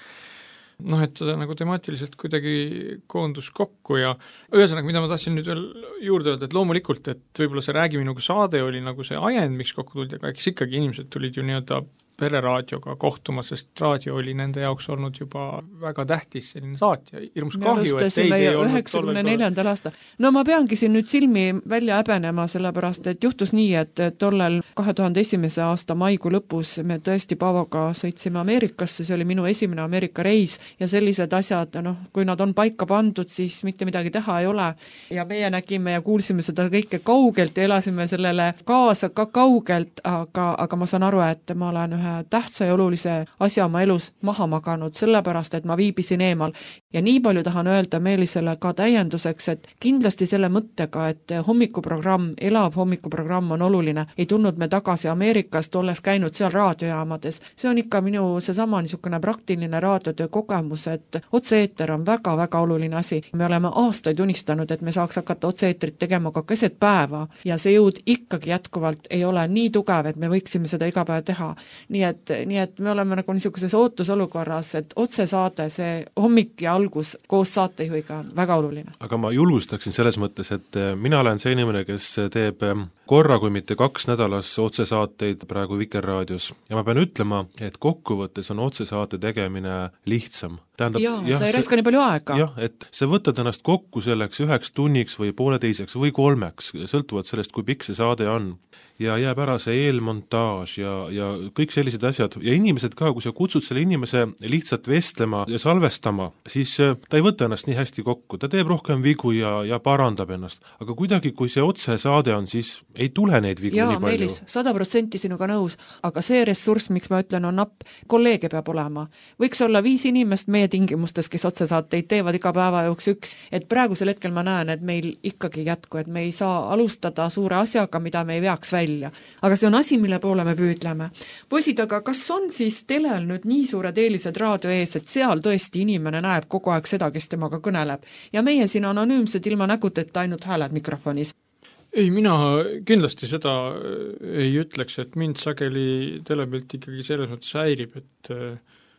et seda nagu temaatiliselt kuidagi koondus kokku ja ühesõnaga, mida ma tahtsin nüüd veel juurde öelda, et loomulikult, et võib-olla see Räägi minuga saade oli nagu see ajend, miks kokku tuldi, aga eks ikkagi inimesed tulid ju nii-öelda Pereraadioga kohtuma, sest raadio oli nende jaoks olnud juba väga tähtis selline saatja, hirmus kahju, et teid ei olnud 94. aastal. No ma peangi siin nüüd silmi välja häbenema, sellepärast, et juhtus nii, et tollel 2001. aasta maikuu lõpus me tõesti Paavoga sõitsime Ameerikasse, see oli minu esimene Ameerika reis ja sellised asjad, kui nad on paika pandud, siis mitte midagi teha ei ole ja meie nägime ja kuulsime seda kõike kaugelt ja elasime sellele kaasa ka kaugelt, aga ma saan aru, et ma olen ühe tähtsa ja olulise asja oma elus maha maganud, sellepärast, et ma viibisin eemal. Ja nii palju tahan öelda Meelisele ka täienduseks, et kindlasti selle mõttega, et hommikuprogramm, elav hommikuprogramm on oluline, ei tulnud me tagasi Ameerikast, olles käinud seal raadiojaamades. See on ikka minu seesama niisugune praktiline raadiotöö kogemus, et otse-eeter on väga-väga oluline asi. Me oleme aastaid unistanud, et me saaks hakata otse-eetrit tegema ka keset päeva ja see jõud ikkagi jätkuvalt ei ole nii tugev, et me võiksime seda iga päev teha. Nii et me oleme nagu niisuguses ootusolukorras, et otsesaade, see hommik ja algus koos saatejuhiga on väga oluline. Aga ma julgustaksin selles mõttes, et mina olen see inimene, kes teeb korra, kui mitte 2 nädalas otsesaateid praegu Vikerraadios ja ma pean ütlema, et kokkuvõttes on otsesaate tegemine lihtsam. Tähendab, sa ei räska nii palju aega. Jah, et sa võtad ennast kokku selleks 1 tunniks või 1,5 või 3, sõltuvalt sellest, kui pikk see saade on. Ja jääb ära see eelmontaaž ja kõik sellised asjad ja inimesed ka, kui sa kutsud selle inimese lihtsalt vestlema ja salvestama, siis ta ei võta ennast nii hästi kokku, ta teeb rohkem vigu ja parandab ennast, aga kuidagi, kui see otsesaade on, siis ei tule neid vigu jaa, nii palju. Meelis, 100% sinuga nõus, aga see ressurss, miks ma ütlen, on napp, kolleege peab olema. Võiks olla 5 inimest meie tingimustes, kes otsesaateid teevad iga päeva jooks 1, et praegusel hetkel ma näen, et meil ikkagi jätku, et me ei saa alustada suure asjaga, mida me ei veaks välja. Aga see on asi, mille poole me püüdleme. Poisid, aga kas on siis telel nüüd nii suured eelised raadio ees, et seal tõesti inimene näeb kogu aeg seda, kes temaga kõneleb ja meie siin anonüümsed ilma nägudeta ainult hääled mikrofonis? Ei, mina kindlasti seda ei ütleks, et mind sageli telepilt ikkagi selles mõttes häirib, et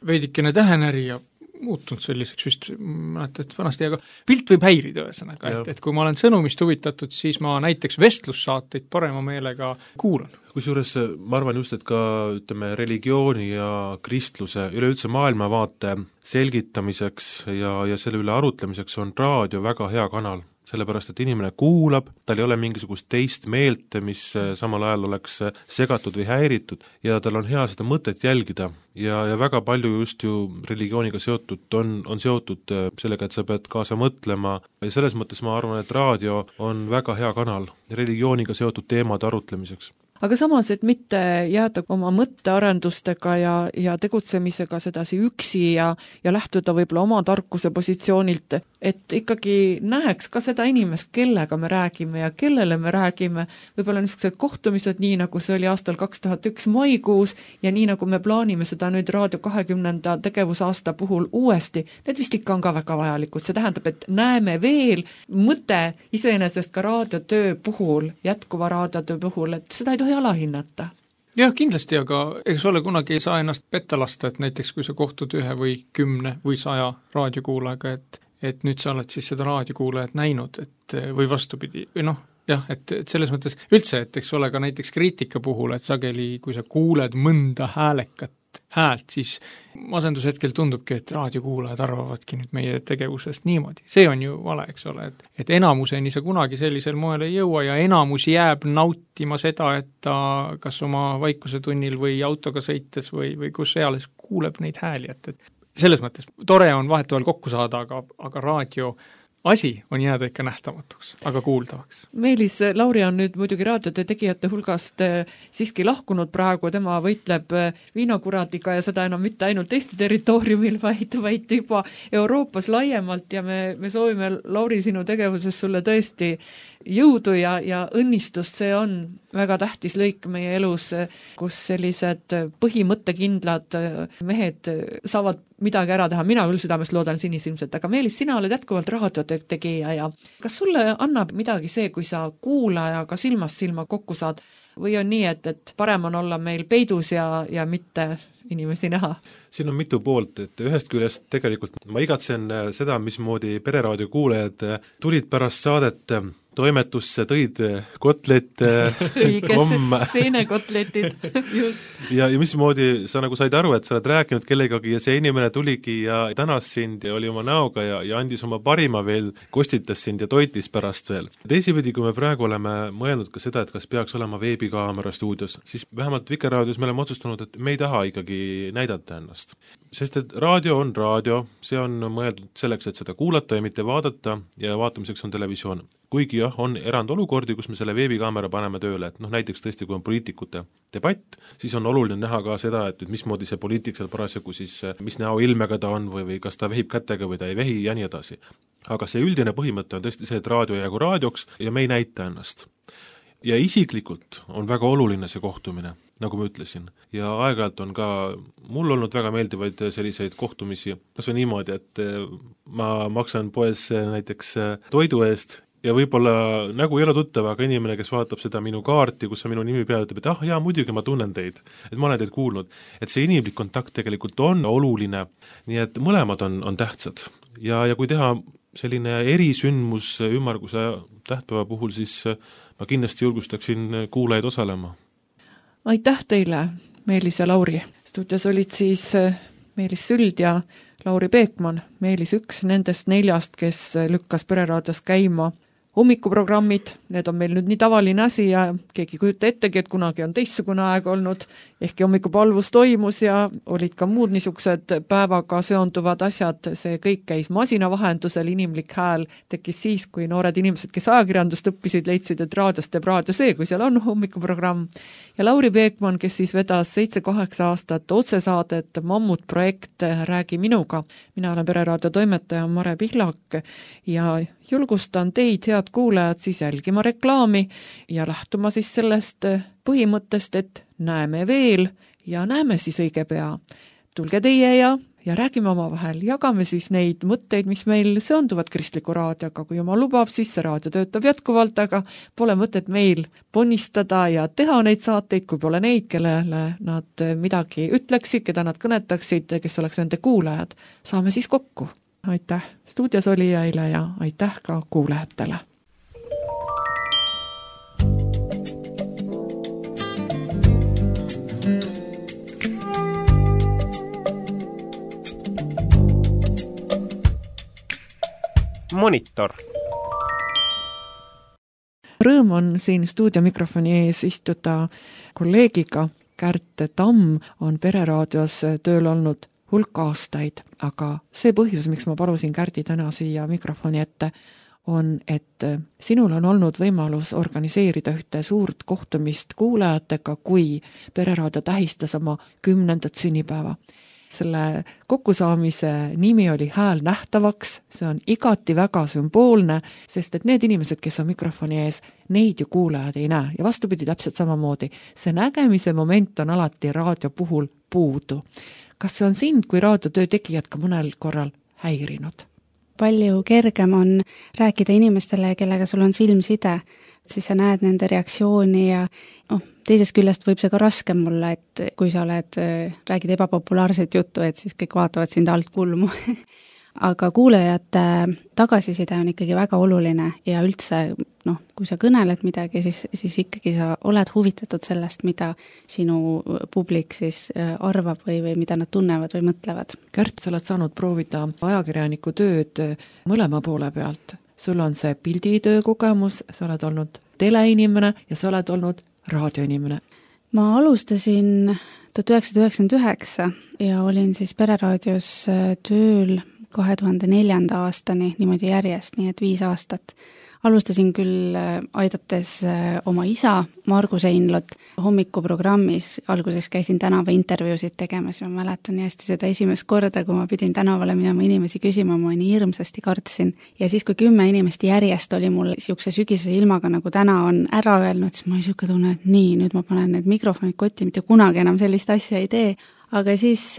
veidikene tähenäri ja muutunud selliseks vist, mäletan, et vanasti, aga pilt võib häirida ühesõnaga, et kui ma olen sõnumist huvitatud, siis ma näiteks vestlussaateid parema meelega kuulan. Kusjuures ma arvan just, et ka ütleme, religiooni ja kristluse, üleüldse maailmavaate selgitamiseks ja selle üle arutlemiseks on raadio väga hea kanal. Sellepärast, et inimene kuulab, tal ei ole mingisugust teist meelt, mis samal ajal oleks segatud või häiritud ja tal on hea seda mõtet jälgida ja väga palju just ju religiooniga seotud on seotud sellega, et sa pead kaasa mõtlema ja selles mõttes ma arvan, et raadio on väga hea kanal religiooniga seotud teemade arutlemiseks. Aga samas, et mitte jääda oma mõttearendustega ja tegutsemisega sedasi üksi ja lähtuda võib-olla oma tarkuse positsioonilt, et ikkagi näeks ka seda inimest, kellega me räägime ja kellele me räägime, võib-olla niisugused kohtumised, nii nagu see oli aastal 2001 maikuus ja nii nagu me plaanime seda nüüd Raadio 20. tegevusaasta puhul uuesti, need vist ikka on ka väga vajalikud. See tähendab, et näeme veel mõte iseenesest ka raadiotöö puhul, jätkuva raadiotöö puhul, et seda ei tohi alahinnata. Jah, kindlasti, aga eks ole kunagi ei saa ennast petta lasta, et näiteks kui sa kohtud 1 või 10 või 100 raadiokuulajaga, et nüüd sa oled siis seda raadiokuulajat näinud, et või vastupidi, või noh, jah, et selles mõttes üldse, et eks ole ka näiteks kriitika puhul, et sageli, kui sa kuuled mõnda häälekat häält, siis masendushetkel tundubki, et raadiokuulajad arvavadki nüüd meie tegevusest niimoodi. See on ju vale, eks ole, et enamuseni sa kunagi sellisel moel ei jõua ja enamus jääb nautima seda, et ta kas oma vaikusetunnil või autoga sõites või kus eales kuuleb neid hääli, et selles mõttes tore on vahetevahel kokku saada, aga raadio asi on jääda ikka nähtamatuks, aga kuuldavaks. Meelis, Lauri on nüüd muidugi raadiote tegijate hulgast siiski lahkunud praegu, tema võitleb viinakuradiga ja seda enam mitte ainult Eesti territooriumil, vaid juba Euroopas laiemalt ja me soovime, Lauri, sinu tegevuses sulle tõesti jõudu ja õnnistust, see on väga tähtis lõik meie elus, kus sellised põhimõttekindlad mehed saavad midagi ära teha, mina küll südamest loodan sinisilmselt, aga Meelis, sina oled jätkuvalt raadiotegija ja kas sulle annab midagi see, kui sa kuulajaga silmast silma kokku saad või on nii, et parem on olla meil peidus ja mitte inimesi näha? Siin on mitu poolt, et ühest küljest tegelikult ma igatsen seda, mismoodi Pereraadio kuulajad tulid pärast saadet toimetusse, tõid kotlet, seenekotletid, just. Ja mismoodi sa nagu said aru, et sa oled rääkinud kellegagi ja see inimene tuligi ja tänas sind ja oli oma näoga ja andis oma parima veel, kostitas sind ja toitis pärast veel. Teisipidi, kui me praegu oleme mõelnud ka seda, et kas peaks olema veebikaamera stuudios, siis vähemalt Vikerraadios me oleme otsustanud, et me ei taha ikkagi näidata ennast. Sest et raadio on raadio, see on mõeldud selleks, et seda kuulata ja mitte vaadata ja vaatamiseks on televisioon. Kuigi jah, on erandolukordi, kus me selle veebikaamera paneme tööle, et näiteks tõesti, kui on poliitikute debatt, siis on oluline näha ka seda, et mismoodi see poliitik seal parasjagu siis, mis näoilmega ta on või kas ta vehib kätega või ta ei vehi ja nii edasi. Aga see üldine põhimõte on tõesti see, et raadio jäägu raadioks ja me ei näita ennast. Ja isiklikult on väga oluline see kohtumine, nagu ma ütlesin. Ja aeg-ajalt on ka mul olnud väga meeldivaid selliseid kohtumisi, kas või niimoodi, et ma maksan poes näiteks toidu eest ja võib-olla nägu ei ole tuttav, aga inimene, kes vaatab seda minu kaarti, kus on minu nimi peal, ütleb, et jaa, muidugi ma tunnen teid, et ma olen teid kuulnud. Et see inimlik kontakt tegelikult on oluline, nii et mõlemad on tähtsad. Ja kui teha selline erisündmus ümmarguse tähtpäeva puhul, siis ma kindlasti julgustaksin kuulajaid osalema. Aitäh teile, Meelis ja Lauri. Stuudios olid siis Meelis Süld ja Lauri Peekman, Meelis üks nendest 4, kes lükkas Pereraadios käima hommikuprogrammid, need on meil nüüd nii tavaline asi ja keegi kujuta ettegi, et kunagi on teistsugune aeg olnud ehkki hommikupalvus toimus ja olid ka muud niisugused päevaga seonduvad asjad, see kõik käis masina vahendusel, inimlik hääl tekkis siis, kui noored inimesed, kes ajakirjandust õppisid, leidsid, et raadios teeb raadio see, kui seal on hommikuprogramm. Ja Lauri Peekman, kes siis vedas 7-8 aastat otsesaadet Mammutprojekt Räägi minuga. Mina olen Pereraadio toimetaja Mare Pihlak ja julgustan teid, head kuulajad, siis jälgima reklaami ja lähtuma siis sellest põhimõttest, et näeme veel ja näeme siis õige pea. Tulge teie ja räägime omavahel, jagame siis neid mõtteid, mis meil seonduvad kristliku raadioga, kui Jumal lubab, siis see raadio töötab jätkuvalt, aga pole mõtet meil ponnistada ja teha neid saateid, kui pole neid, kellele nad midagi ütleksid, keda nad kõnetaksid, kes oleks nende kuulajad. Saame siis kokku. Aitäh stuudios olijaile ja aitäh ka kuulajatele. Monitor. Rõõm on siin stuudiomikrofoni ees istuda kolleegiga. Kärt Tamm on Pereraadios tööl olnud hulk aastaid, aga see põhjus, miks ma palusin Kärdi täna siia mikrofoni ette, on, et sinul on olnud võimalus organiseerida ühte suurt kohtumist kuulajatega, kui Pereraadio tähistas oma 10. sünnipäeva. Selle kokkusaamise nimi oli Hääl nähtavaks, see on igati väga sümboolne, sest et need inimesed, kes on mikrofoni ees, neid ju kuulajad ei näe ja vastupidi täpselt samamoodi. See nägemise moment on alati raadio puhul puudu. Kas see on sind kui raadiotöö tegijad ka mõnel korral häirinud? Palju kergem on rääkida inimestele, kellega sul on silmside, siis sa näed nende reaktsiooni ja teisest küljest võib see ka raskem olla, et kui sa räägid ebapopulaarset juttu, et siis kõik vaatavad sind alt kulmu. Aga kuulajate tagasiside on ikkagi väga oluline ja üldse, kui sa kõneled midagi, siis ikkagi sa oled huvitatud sellest, mida sinu publik siis arvab või mida nad tunnevad või mõtlevad. Kärt, sa oled saanud proovida ajakirjaniku tööd mõlema poole pealt. Sul on see pilditöö kogemus, sa oled olnud teleinimene ja sa oled olnud raadioinimene. Ma alustasin 1999 ja olin siis Pereraadios tööl 2004. aastani niimoodi järjest, nii et 5 aastat. Alustasin küll aidates oma isa, Margus Einlot, hommikuprogrammis. Alguses käisin tänava intervjuusid tegemas ja ma mäletan nii hästi seda esimest korda, kui ma pidin tänavale minema inimesi küsima, ma nii hirmsasti kartsin. Ja siis, kui 10 inimest järjest oli mul siukse sügise ilmaga, nagu täna on ära öelnud, siis ma siuke tunne, et nii, nüüd ma panen need mikrofonid kotti, mitte kunagi enam sellist asja ei tee. Aga siis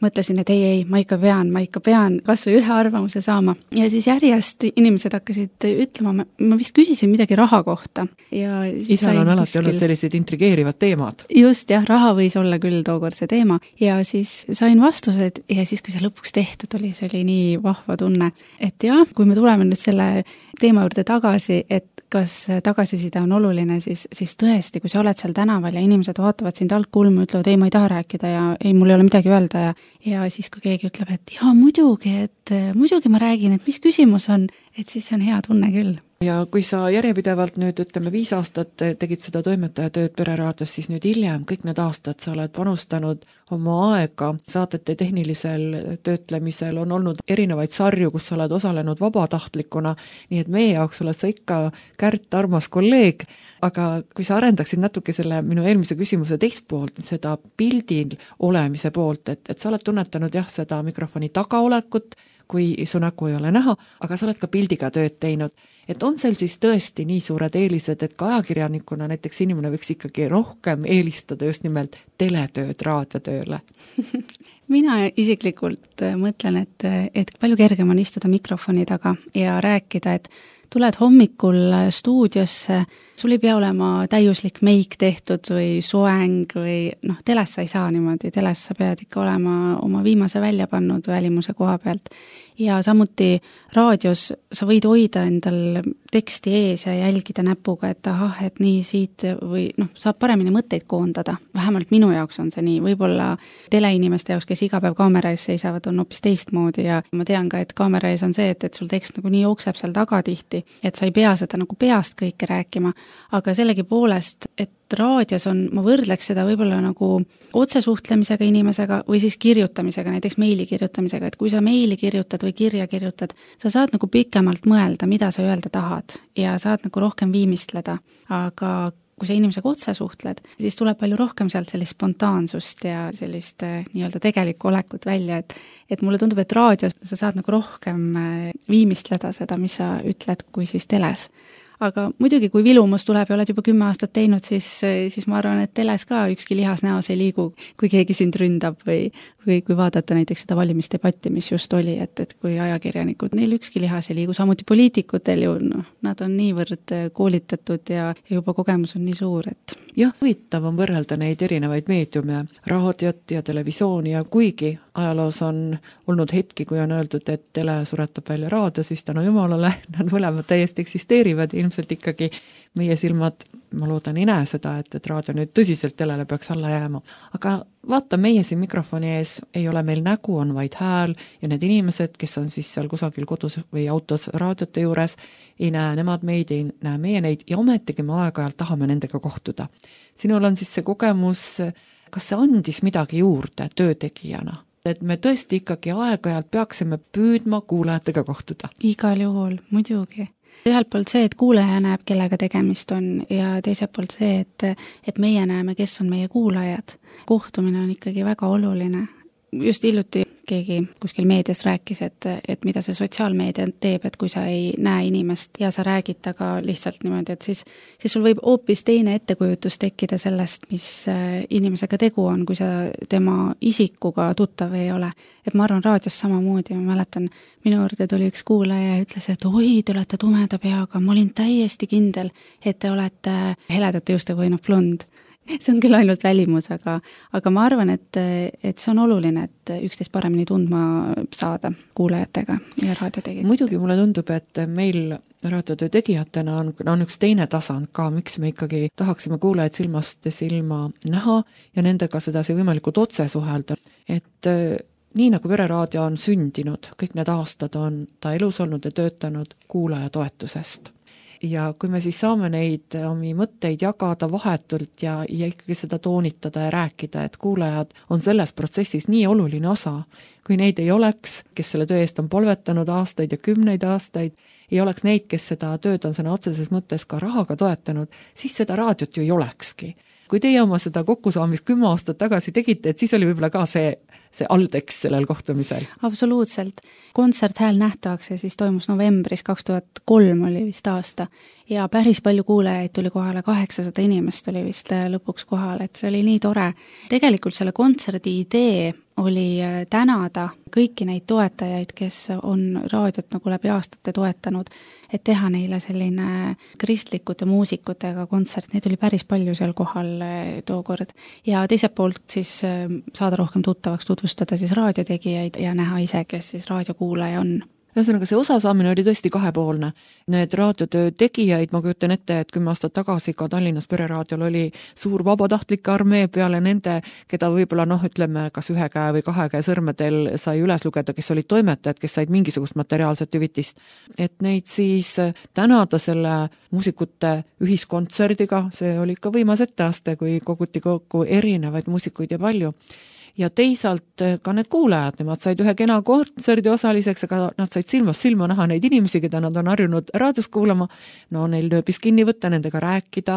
mõtlesin, et ei, ma ikka pean kas või ühe arvamuse saama. Ja siis järjest inimesed hakkasid ütlema, ma vist küsisin midagi raha kohta. Isal on alati olnud sellised intrigeerivad teemad. Just, jah, raha võis olla küll tookord see teema. Ja siis sain vastused ja siis, kui see lõpuks tehtud oli, see oli nii vahva tunne. Et jah, kui me tuleme nüüd selle teema juurde tagasi, et kas tagasiside on oluline, siis tõesti, kui sa oled seal tänaval ja inimesed vaatavad sind alt kulmu, ütlevad, ei, ma ei taha rääkida ja ei, mul ei ole midagi öelda ja siis, kui keegi ütleb, et jaa, muidugi ma räägin, et mis küsimus on, et siis on hea tunne küll. Ja kui sa järjepidevalt nüüd, 5 aastat tegid seda toimetajatööd Pereraadios, siis nüüd hiljem kõik need aastad sa oled panustanud oma aega saatete tehnilisel töötlemisel, on olnud erinevaid sarju, kus sa oled osalenud vabatahtlikuna, nii et meie jaoks oled sa ikka Kärt armas kolleeg, aga kui sa arendaksid natuke selle minu eelmise küsimuse teist poolt, seda pildil olemise poolt, et sa oled tunnetanud jah, seda mikrofoni tagaolekut, kui su nägu ei ole näha, aga sa oled ka pildiga tööd teinud. Et on seal siis tõesti nii suured eelised, et ka ajakirjanikuna näiteks inimene võiks ikkagi rohkem eelistada just nimelt teletööd raadiotööle? Mina isiklikult mõtlen, et palju kergem on istuda mikrofoni taga ja rääkida, et tuled hommikul stuudiosse, sul ei pea olema täiuslik meik tehtud või soeng või teles sa ei saa niimoodi, teles sa pead ikka olema oma viimase välja pannud välimuse koha pealt. Ja samuti raadios sa võid hoida endal teksti ees ja jälgida näpuga, et ahah, et nii siit või saab paremini mõtteid koondada. Vähemalt minu jaoks on see nii. Võib-olla teleinimeste jaoks, kes iga päev kaamera ees seisavad, on hoopis teistmoodi ja ma tean ka, et kaamera ees on see, et sul tekst nagu nii jookseb seal taga tihti kiiresti, et sa ei pea seda nagu peast kõike rääkima, aga sellegipoolest, et raadios on, ma võrdleks seda võib-olla nagu otsesuhtlemisega inimesega või siis kirjutamisega, näiteks meili kirjutamisega, et kui sa meili kirjutad või kirja kirjutad, sa saad nagu pikemalt mõelda, mida sa öelda tahad ja saad nagu rohkem viimistleda, aga kui sa inimesega otse suhtled, siis tuleb palju rohkem sealt sellist spontaansust ja sellist nii-öelda tegelikku olekut välja, et mulle tundub, et raadios sa saad nagu rohkem viimistleda seda, mis sa ütled, kui siis teles. Aga muidugi, kui vilumus tuleb ja oled juba 10 aastat teinud, siis ma arvan, et teles ka ükski lihas näos ei liigu, kui keegi sind ründab või kui vaadata näiteks seda valimisdebatti, mis just oli, et kui ajakirjanikud, neil ükski lihas ei liigu, samuti poliitikutel ju, nad on niivõrd koolitatud ja juba kogemus on nii suur, et jah, huvitav on võrrelda neid erinevaid meediume, raadiot ja televisiooni ja kuigi ajaloos on olnud hetki, kui on öeldud, et tele suretab välja raadio, siis tänu jumalale nad mõlemad täiesti eksisteerivad ja ilmselt ikkagi meie silmad, ma loodan, ei näe seda, et raadio nüüd tõsiselt telele peaks alla jääma. Aga vaata, meie siin mikrofoni ees ei ole meil nägu, on vaid hääl ja need inimesed, kes on siis seal kusagil kodus või autos raadiote juures, ei näe nemad meid, ei näe meie neid ja ometigi me aeg-ajalt tahame nendega kohtuda. Sinul on siis see kogemus, kas see andis midagi juurde töötegijana? Et me tõesti ikkagi aeg-ajalt peaksime püüdma kuulajatega kohtuda. Igal juhul, muidugi. Ühelt poolt see, et kuulaja näeb, kellega tegemist on ja teiselt poolt see, et meie näeme, kes on meie kuulajad. Kohtumine on ikkagi väga oluline. Just hiljuti keegi kuskil meedias rääkis, et mida see sotsiaalmeedia teeb, et kui sa ei näe inimest ja sa räägid taga lihtsalt niimoodi, et siis sul võib hoopis teine ettekujutus tekkida sellest, mis inimesega tegu on, kui sa tema isikuga tuttav ei ole. Et ma arvan raadios samamoodi, ma mäletan, minu juurde tuli üks kuulaja ja ütles, et oi, te olete tumeda peaga, ma olin täiesti kindel, et te olete heledate juustega või blond. See on küll ainult välimus, aga ma arvan, et see on oluline, et üksteist paremini tundma saada kuulajatega ja raadiotegijatega. Muidugi mulle tundub, et meil raadiotöö tegijatena on üks teine tasand ka, miks me ikkagi tahaksime kuulajad silmast silma näha ja nendega sedasi võimalikult otse suhelda. Et nii nagu Pereraadio on sündinud, kõik need aastad on ta elus olnud ja töötanud kuulaja toetusest. Ja kui me siis saame neid omi mõtteid jagada vahetult ja ikkagi seda toonitada ja rääkida, et kuulajad on selles protsessis nii oluline osa, kui neid ei oleks, kes selle töö eest on polvetanud aastaid ja 10 aastaid, ei oleks neid, kes seda tööd on sõna otseses mõttes ka rahaga toetanud, siis seda raadiot ju ei olekski. Kui teie oma seda kokkusaamist 10 aastat tagasi tegite, et siis oli võib-olla ka see alltekst sellel kohtumisel. Absoluutselt. Kontsert Hääl nähtavaks ja siis toimus novembris 2003 oli vist aasta ja päris palju kuulajaid tuli kohale, 800 inimest oli vist lõpuks kohal, et see oli nii tore. Tegelikult selle kontserdi idee oli tänada kõiki neid toetajaid, kes on raadiot nagu läbi aastate toetanud, et teha neile selline kristlikute muusikutega kontsert, neid oli päris palju seal kohal tookord. Ja teiselt poolt siis saada rohkem tuttavaks, tutvustada siis raadiotegijaid ja näha ise, kes siis raadiokuulaja on. Ühesõnaga, see osasaamine oli tõesti kahepoolne. Need raadiotöö tegijaid, ma kujutan ette, et 10 aastat tagasi ka Tallinnas Pereraadiol oli suur vabatahtlike armee peale nende, keda võib-olla ütleme, kas 1 käe või 2 käe sõrmedel sai üles lugeda, kes olid toimetajad, kes said mingisugust materiaalset hüvitist. Et neid siis tänada selle muusikute ühiskontserdiga, see oli ikka võimas etteaste, kui koguti kokku erinevaid muusikuid ja palju. Ja teisalt ka need kuulajad, nemad said ühe kena kontserdi osaliseks, aga nad said silmast silma näha neid inimesi, keda nad on harjunud raadios kuulama, neil nööbis kinni võtta, nendega rääkida.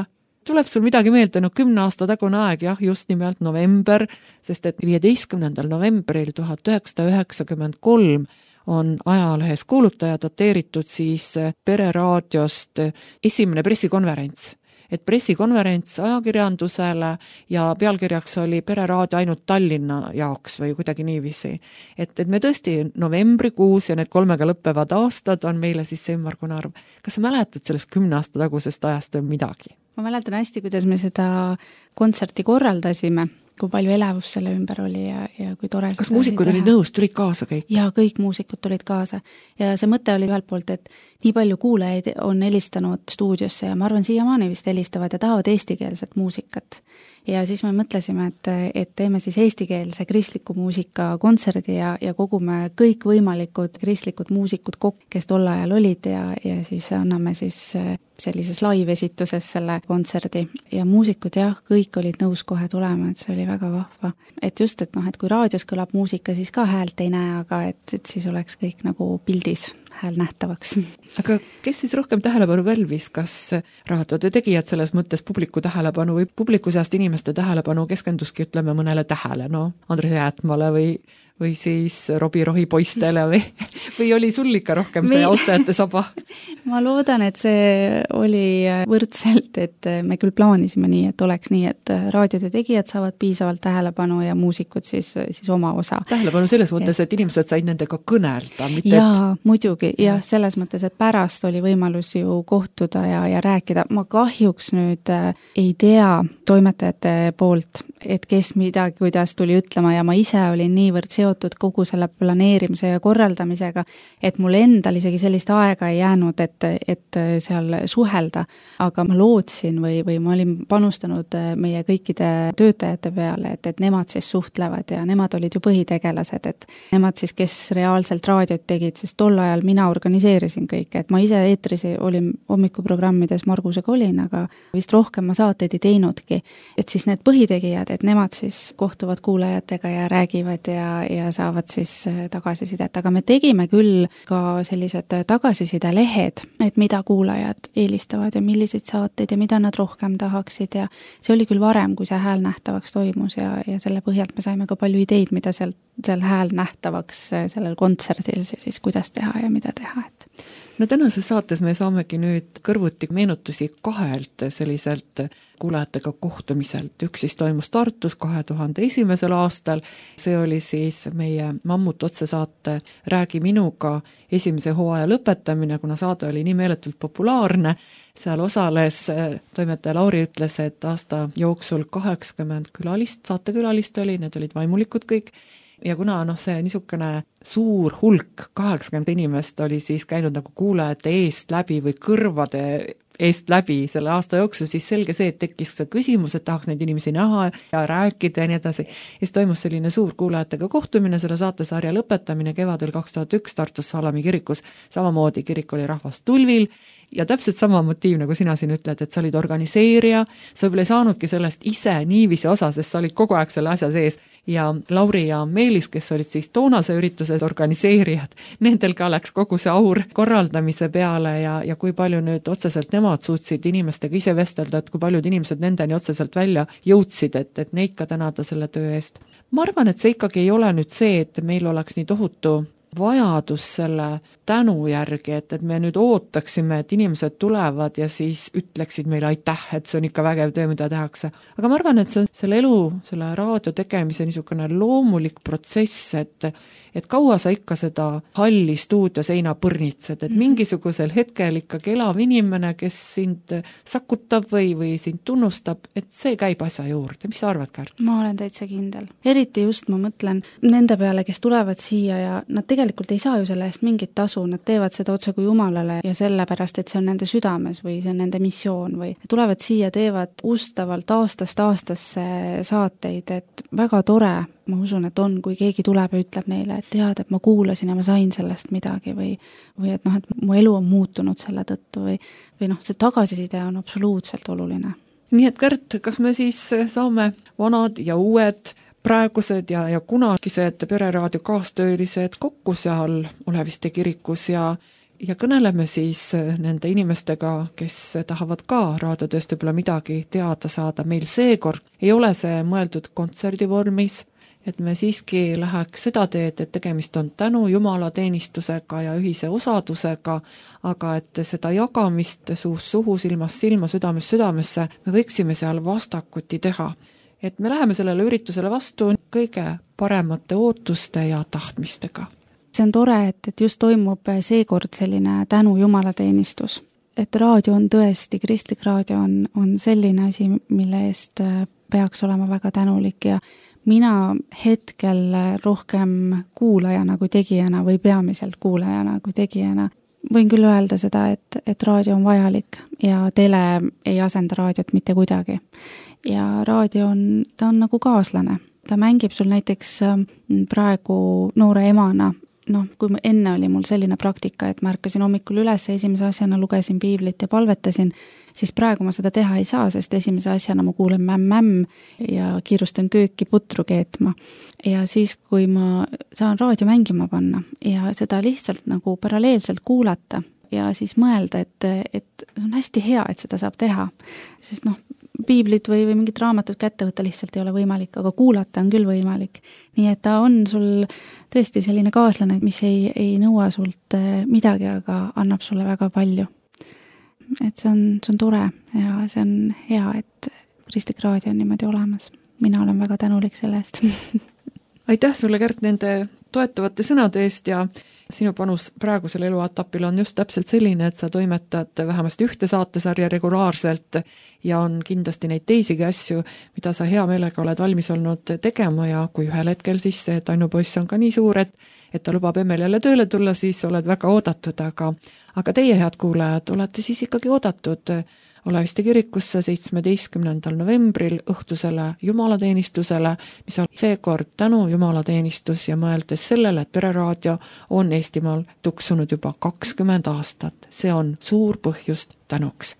Tuleb sul midagi meelde, 10 aasta tagune aeg, jah, just nimelt november, sest et 15. novembril 1993 on ajalehes kuulutaja dateeritud siis Pereraadiost esimene pressikonverents. Et pressikonverents ajakirjandusele ja pealkirjaks oli Pereraadio ainult Tallinna jaoks või kuidagi niiviisi. Et me tõesti novembrikuus ja need 3-ga lõppevad aastad on meile siis see ümmargune arv. Kas sa mäletad sellest 10 aasta tagusest ajast või midagi? Ma mäletan hästi, kuidas me seda kontserti korraldasime, kui palju elevust selle ümber oli ja kui tore. Kas muusikud olid nõus, tulid kaasa kõik? Jaa, kõik muusikud tulid kaasa. Ja see mõte oli ühelt poolt, et nii palju kuulajaid on helistanud stuudiosse ja ma arvan, siiamaani vist helistavad ja tahavad eestikeelset muusikat. ja siis me mõtlesime, et teeme siis eestikeelse kristliku muusika kontserdi ja kogume kõik võimalikud kristlikud muusikud kokku, kes tol ajal olid ja siis anname siis sellises live-esituses selle kontserdi ja muusikud kõik olid nõus kohe tulema, et see oli väga vahva. Et just, et kui raadios kõlab muusika, siis ka häält ei näe, aga et siis oleks kõik nagu pildis hääl nähtavaks. Aga kes siis rohkem tähelepanu pälvis, kas raadiode tegijad selles mõttes publiku tähelepanu või publiku seast inimeste tähelepanu keskenduski, ütleme, mõnele tähele, Andres Jäätmale või siis Robbie Rohi poistele või oli sul ikka rohkem see austajate saba? Ma loodan, et see oli võrdselt, et me küll plaanisime nii, et oleks nii, et raadiode tegijad saavad piisavalt tähelepanu ja muusikud siis oma osa. Tähelepanu selles mõttes, et inimesed said nendega kõnelda, mitte jaa, muidugi, selles mõttes, et pärast oli võimalus ju kohtuda ja rääkida. Ma kahjuks nüüd ei tea toimetajate poolt, et kes midagi, kuidas tuli ütlema ja ma ise olin niivõrd seotud kogu selle planeerimise ja korraldamisega, et mul endal isegi sellist aega ei jäänud, et seal suhelda, aga ma lootsin või ma olin panustanud meie kõikide töötajate peale, et nemad siis suhtlevad ja nemad olid ju põhitegelased, et nemad siis, kes reaalselt raadiot tegid, sest tol ajal mina organiseerisin kõike, et ma ise eetris olin hommikuprogrammides Margusega olin, aga vist rohkem ma saateid ei teinudki, et siis need põhitegijad, et nemad siis kohtuvad kuulajatega ja räägivad ja saavad siis tagasisidet, aga me tegime küll ka sellised tagasiside-lehed, et mida kuulajad eelistavad ja milliseid saateid ja mida nad rohkem tahaksid ja see oli küll varem, kui see hääl nähtavaks toimus ja selle põhjalt me saime ka palju ideid, mida seal hääl nähtavaks sellel kontserdil siis kuidas teha ja mida teha, et no tänases saates me saamegi nüüd kõrvuti meenutusi kahelt selliselt kuulajatega kohtumiselt. Üks siis toimus Tartus 2001. aastal, see oli siis meie Mammut otsesaate Räägi minuga esimese hooaja lõpetamine, kuna saade oli nii meeletult populaarne. Seal osales, toimetaja Lauri ütles, et aasta jooksul 80 saatekülalist oli, need olid vaimulikud kõik. Ja kuna see niisugune suur hulk, 80 inimest oli siis käinud nagu kuulajate eest läbi või kõrvade eest läbi selle aasta jooksul, siis selge see, et tekkis see küsimus, et tahaks neid inimesi näha ja rääkida ja nii edasi. Ja siis toimus selline suur kuulajatega kohtumine, selle saatesarja lõpetamine kevadel 2001 Tartus Salami kirikus. Samamoodi kirik oli rahvast tulvil ja täpselt sama motiiv, nagu sina siin ütled, et sa olid organiseerija, sa võib-olla ei saanudki sellest ise niiviisi osa, sest sa olid kogu aeg selle asja sees. Ja Lauri ja Meelis, kes olid siis toonase ürituse organiseerijad, nendel ka läks kogu see aur korraldamise peale ja kui palju nüüd otseselt nemad suutsid inimestega ise vestelda, et kui paljud inimesed nendeni otseselt välja jõudsid, et neid ka tänada selle töö eest. Ma arvan, et see ikkagi ei ole nüüd see, et meil oleks nii tohutu vajadus selle tänu järgi, et me nüüd ootaksime, et inimesed tulevad ja siis ütleksid meile aitäh, et see on ikka vägev töö, mida tehakse. Aga ma arvan, et see on selle elu, selle raadio tegemise niisugune loomulik protsess, et kaua sa ikka seda halli stuudio seina põrnitsed, et mingisugusel hetkel ikkagi elav inimene, kes sind sakutab või sind tunnustab, et see käib asja juurde. Mis sa arvad, Kärt? Ma olen täitsa kindel. Eriti just ma mõtlen nende peale, kes tulevad siia ja nad tegelikult ei saa ju selle eest mingit tasu, nad teevad seda otse kui Jumalale ja sellepärast, et see on nende südames või see on nende missioon või tulevad siia, teevad ustavalt aastast aastasse saateid, et väga tore, ma usun, et on, kui keegi tuleb ja ütleb neile, et tead, et ma kuulasin ja ma sain sellest midagi või et et mu elu on muutunud selle tõttu või see tagasiside on absoluutselt oluline. Nii et Kärt, kas me siis saame vanad ja uued praegused ja kunagised Pereraadio kaastöölised kokku seal Oleviste kirikus ja kõneleme siis nende inimestega, kes tahavad ka raadiotööst võib-olla midagi teada saada. Meil seekord ei ole see mõeldud kontserdivormis, et me siiski läheks seda teed, et tegemist on tänu jumalateenistusega ja ühise osadusega, aga et seda jagamist suust suhu, silmast silma, südamest südamesse me võiksime seal vastakuti teha. Et me läheme sellele üritusele vastu kõige paremate ootuste ja tahtmistega. See on tore, et just toimub seekord selline tänu jumalateenistus. Et raadio on tõesti, kristlik raadio on selline asi, mille eest peaks olema väga tänulik ja mina hetkel rohkem kuulajana kui tegijana või peamiselt kuulajana kui tegijana võin küll öelda seda, et raadio on vajalik ja tele ei asenda raadiot mitte kuidagi. ja raadio ta on nagu kaaslane. Ta mängib sul näiteks praegu noore emana, kui enne oli mul selline praktika, et ma ärkasin hommikul üles, esimese asjana lugesin piiblit ja palvetasin, siis praegu ma seda teha ei saa, sest esimese asjana ma kuulen mämm ja kiirustan kööki putru keetma. Ja siis, kui ma saan raadio mängima panna ja seda lihtsalt nagu paralleelselt kuulata ja siis mõelda, et on hästi hea, et seda saab teha, sest piiblit või mingit raamatut kätte võtta lihtsalt ei ole võimalik, aga kuulata on küll võimalik. Nii et ta on sul tõesti selline kaaslane, mis ei nõua sult midagi, aga annab sulle väga palju. Et see on tore ja see on hea, et Kristlik Raadio on niimoodi olemas. Mina olen väga tänulik selle eest. Aitäh sulle, Kärt, nende toetavate sõnade eest ja sinu panus praegusel eluetapil on just täpselt selline, et sa toimetad vähemasti ühte saatesarja regulaarselt ja on kindlasti neid teisigi asju, mida sa hea meelega oled valmis olnud tegema ja kui ühel hetkel siis see Tannu poiss on ka nii suur, et ta lubab emmel jälle tööle tulla, siis oled väga oodatud, aga teie, head kuulajad, olete siis ikkagi oodatud Oleviste kirikusse 17. novembril õhtusele jumalateenistusele, mis on seekord tänu jumalateenistus ja mõeldes sellele, et Pereraadio on Eestimaal tuksunud juba 20 aastat. See on suur põhjust tänuks.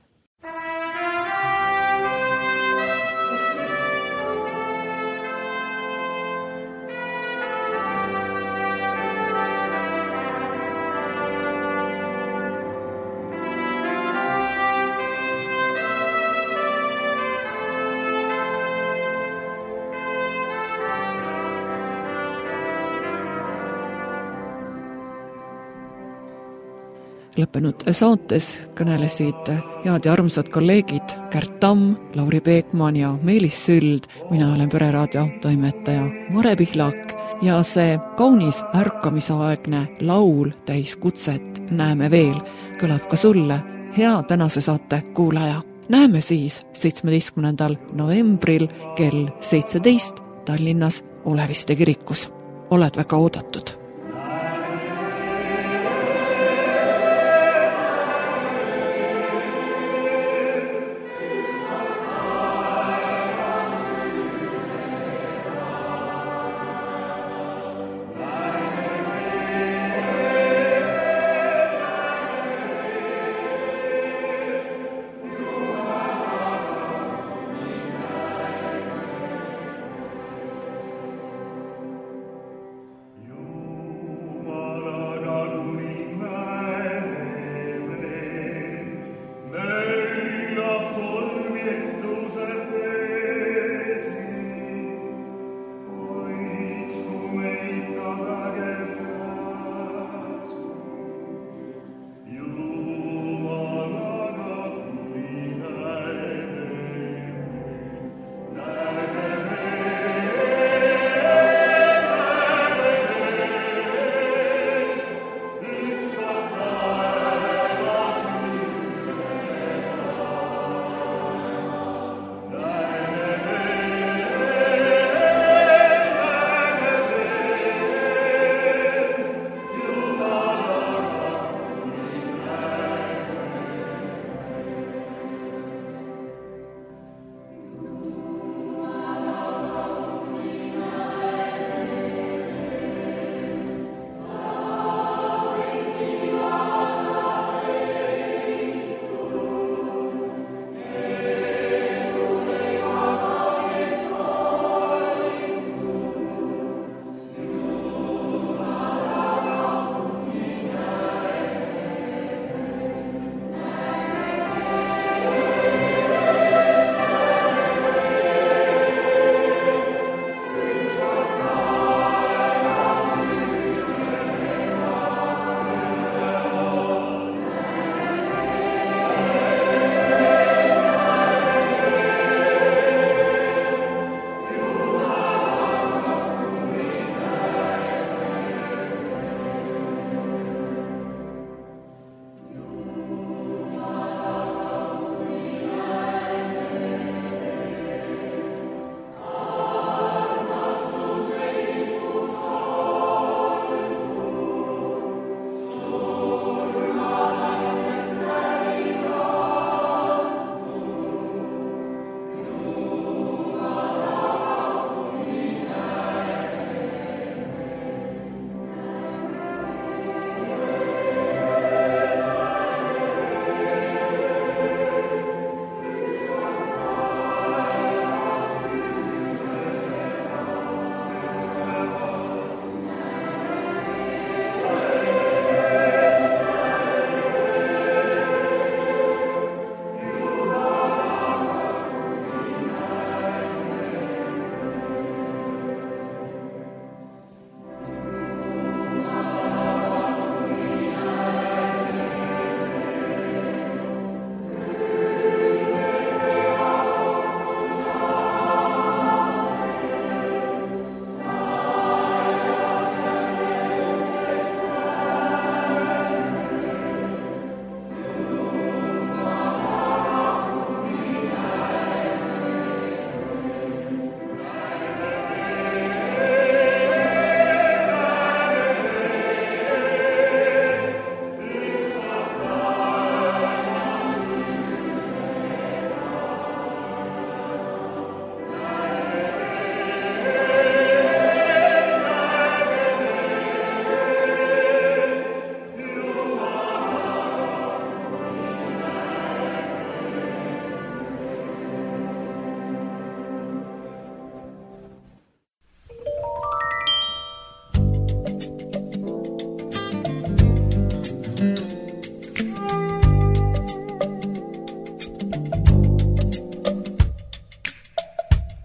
Lõppenud saates kõnelesid head ja armsad kolleegid Kärt Tamm, Lauri Peekman ja Meelis Süld. Mina olen Pereraadio toimetaja Mare Pihlak ja see kaunis ärkamisaegne laul täis kutset Näeme veel kõlab ka sulle, hea tänase saate kuulaja. Näeme siis 17. novembril kell 17 Tallinnas Oleviste kirikus. Oled väga oodatud.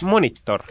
Monitor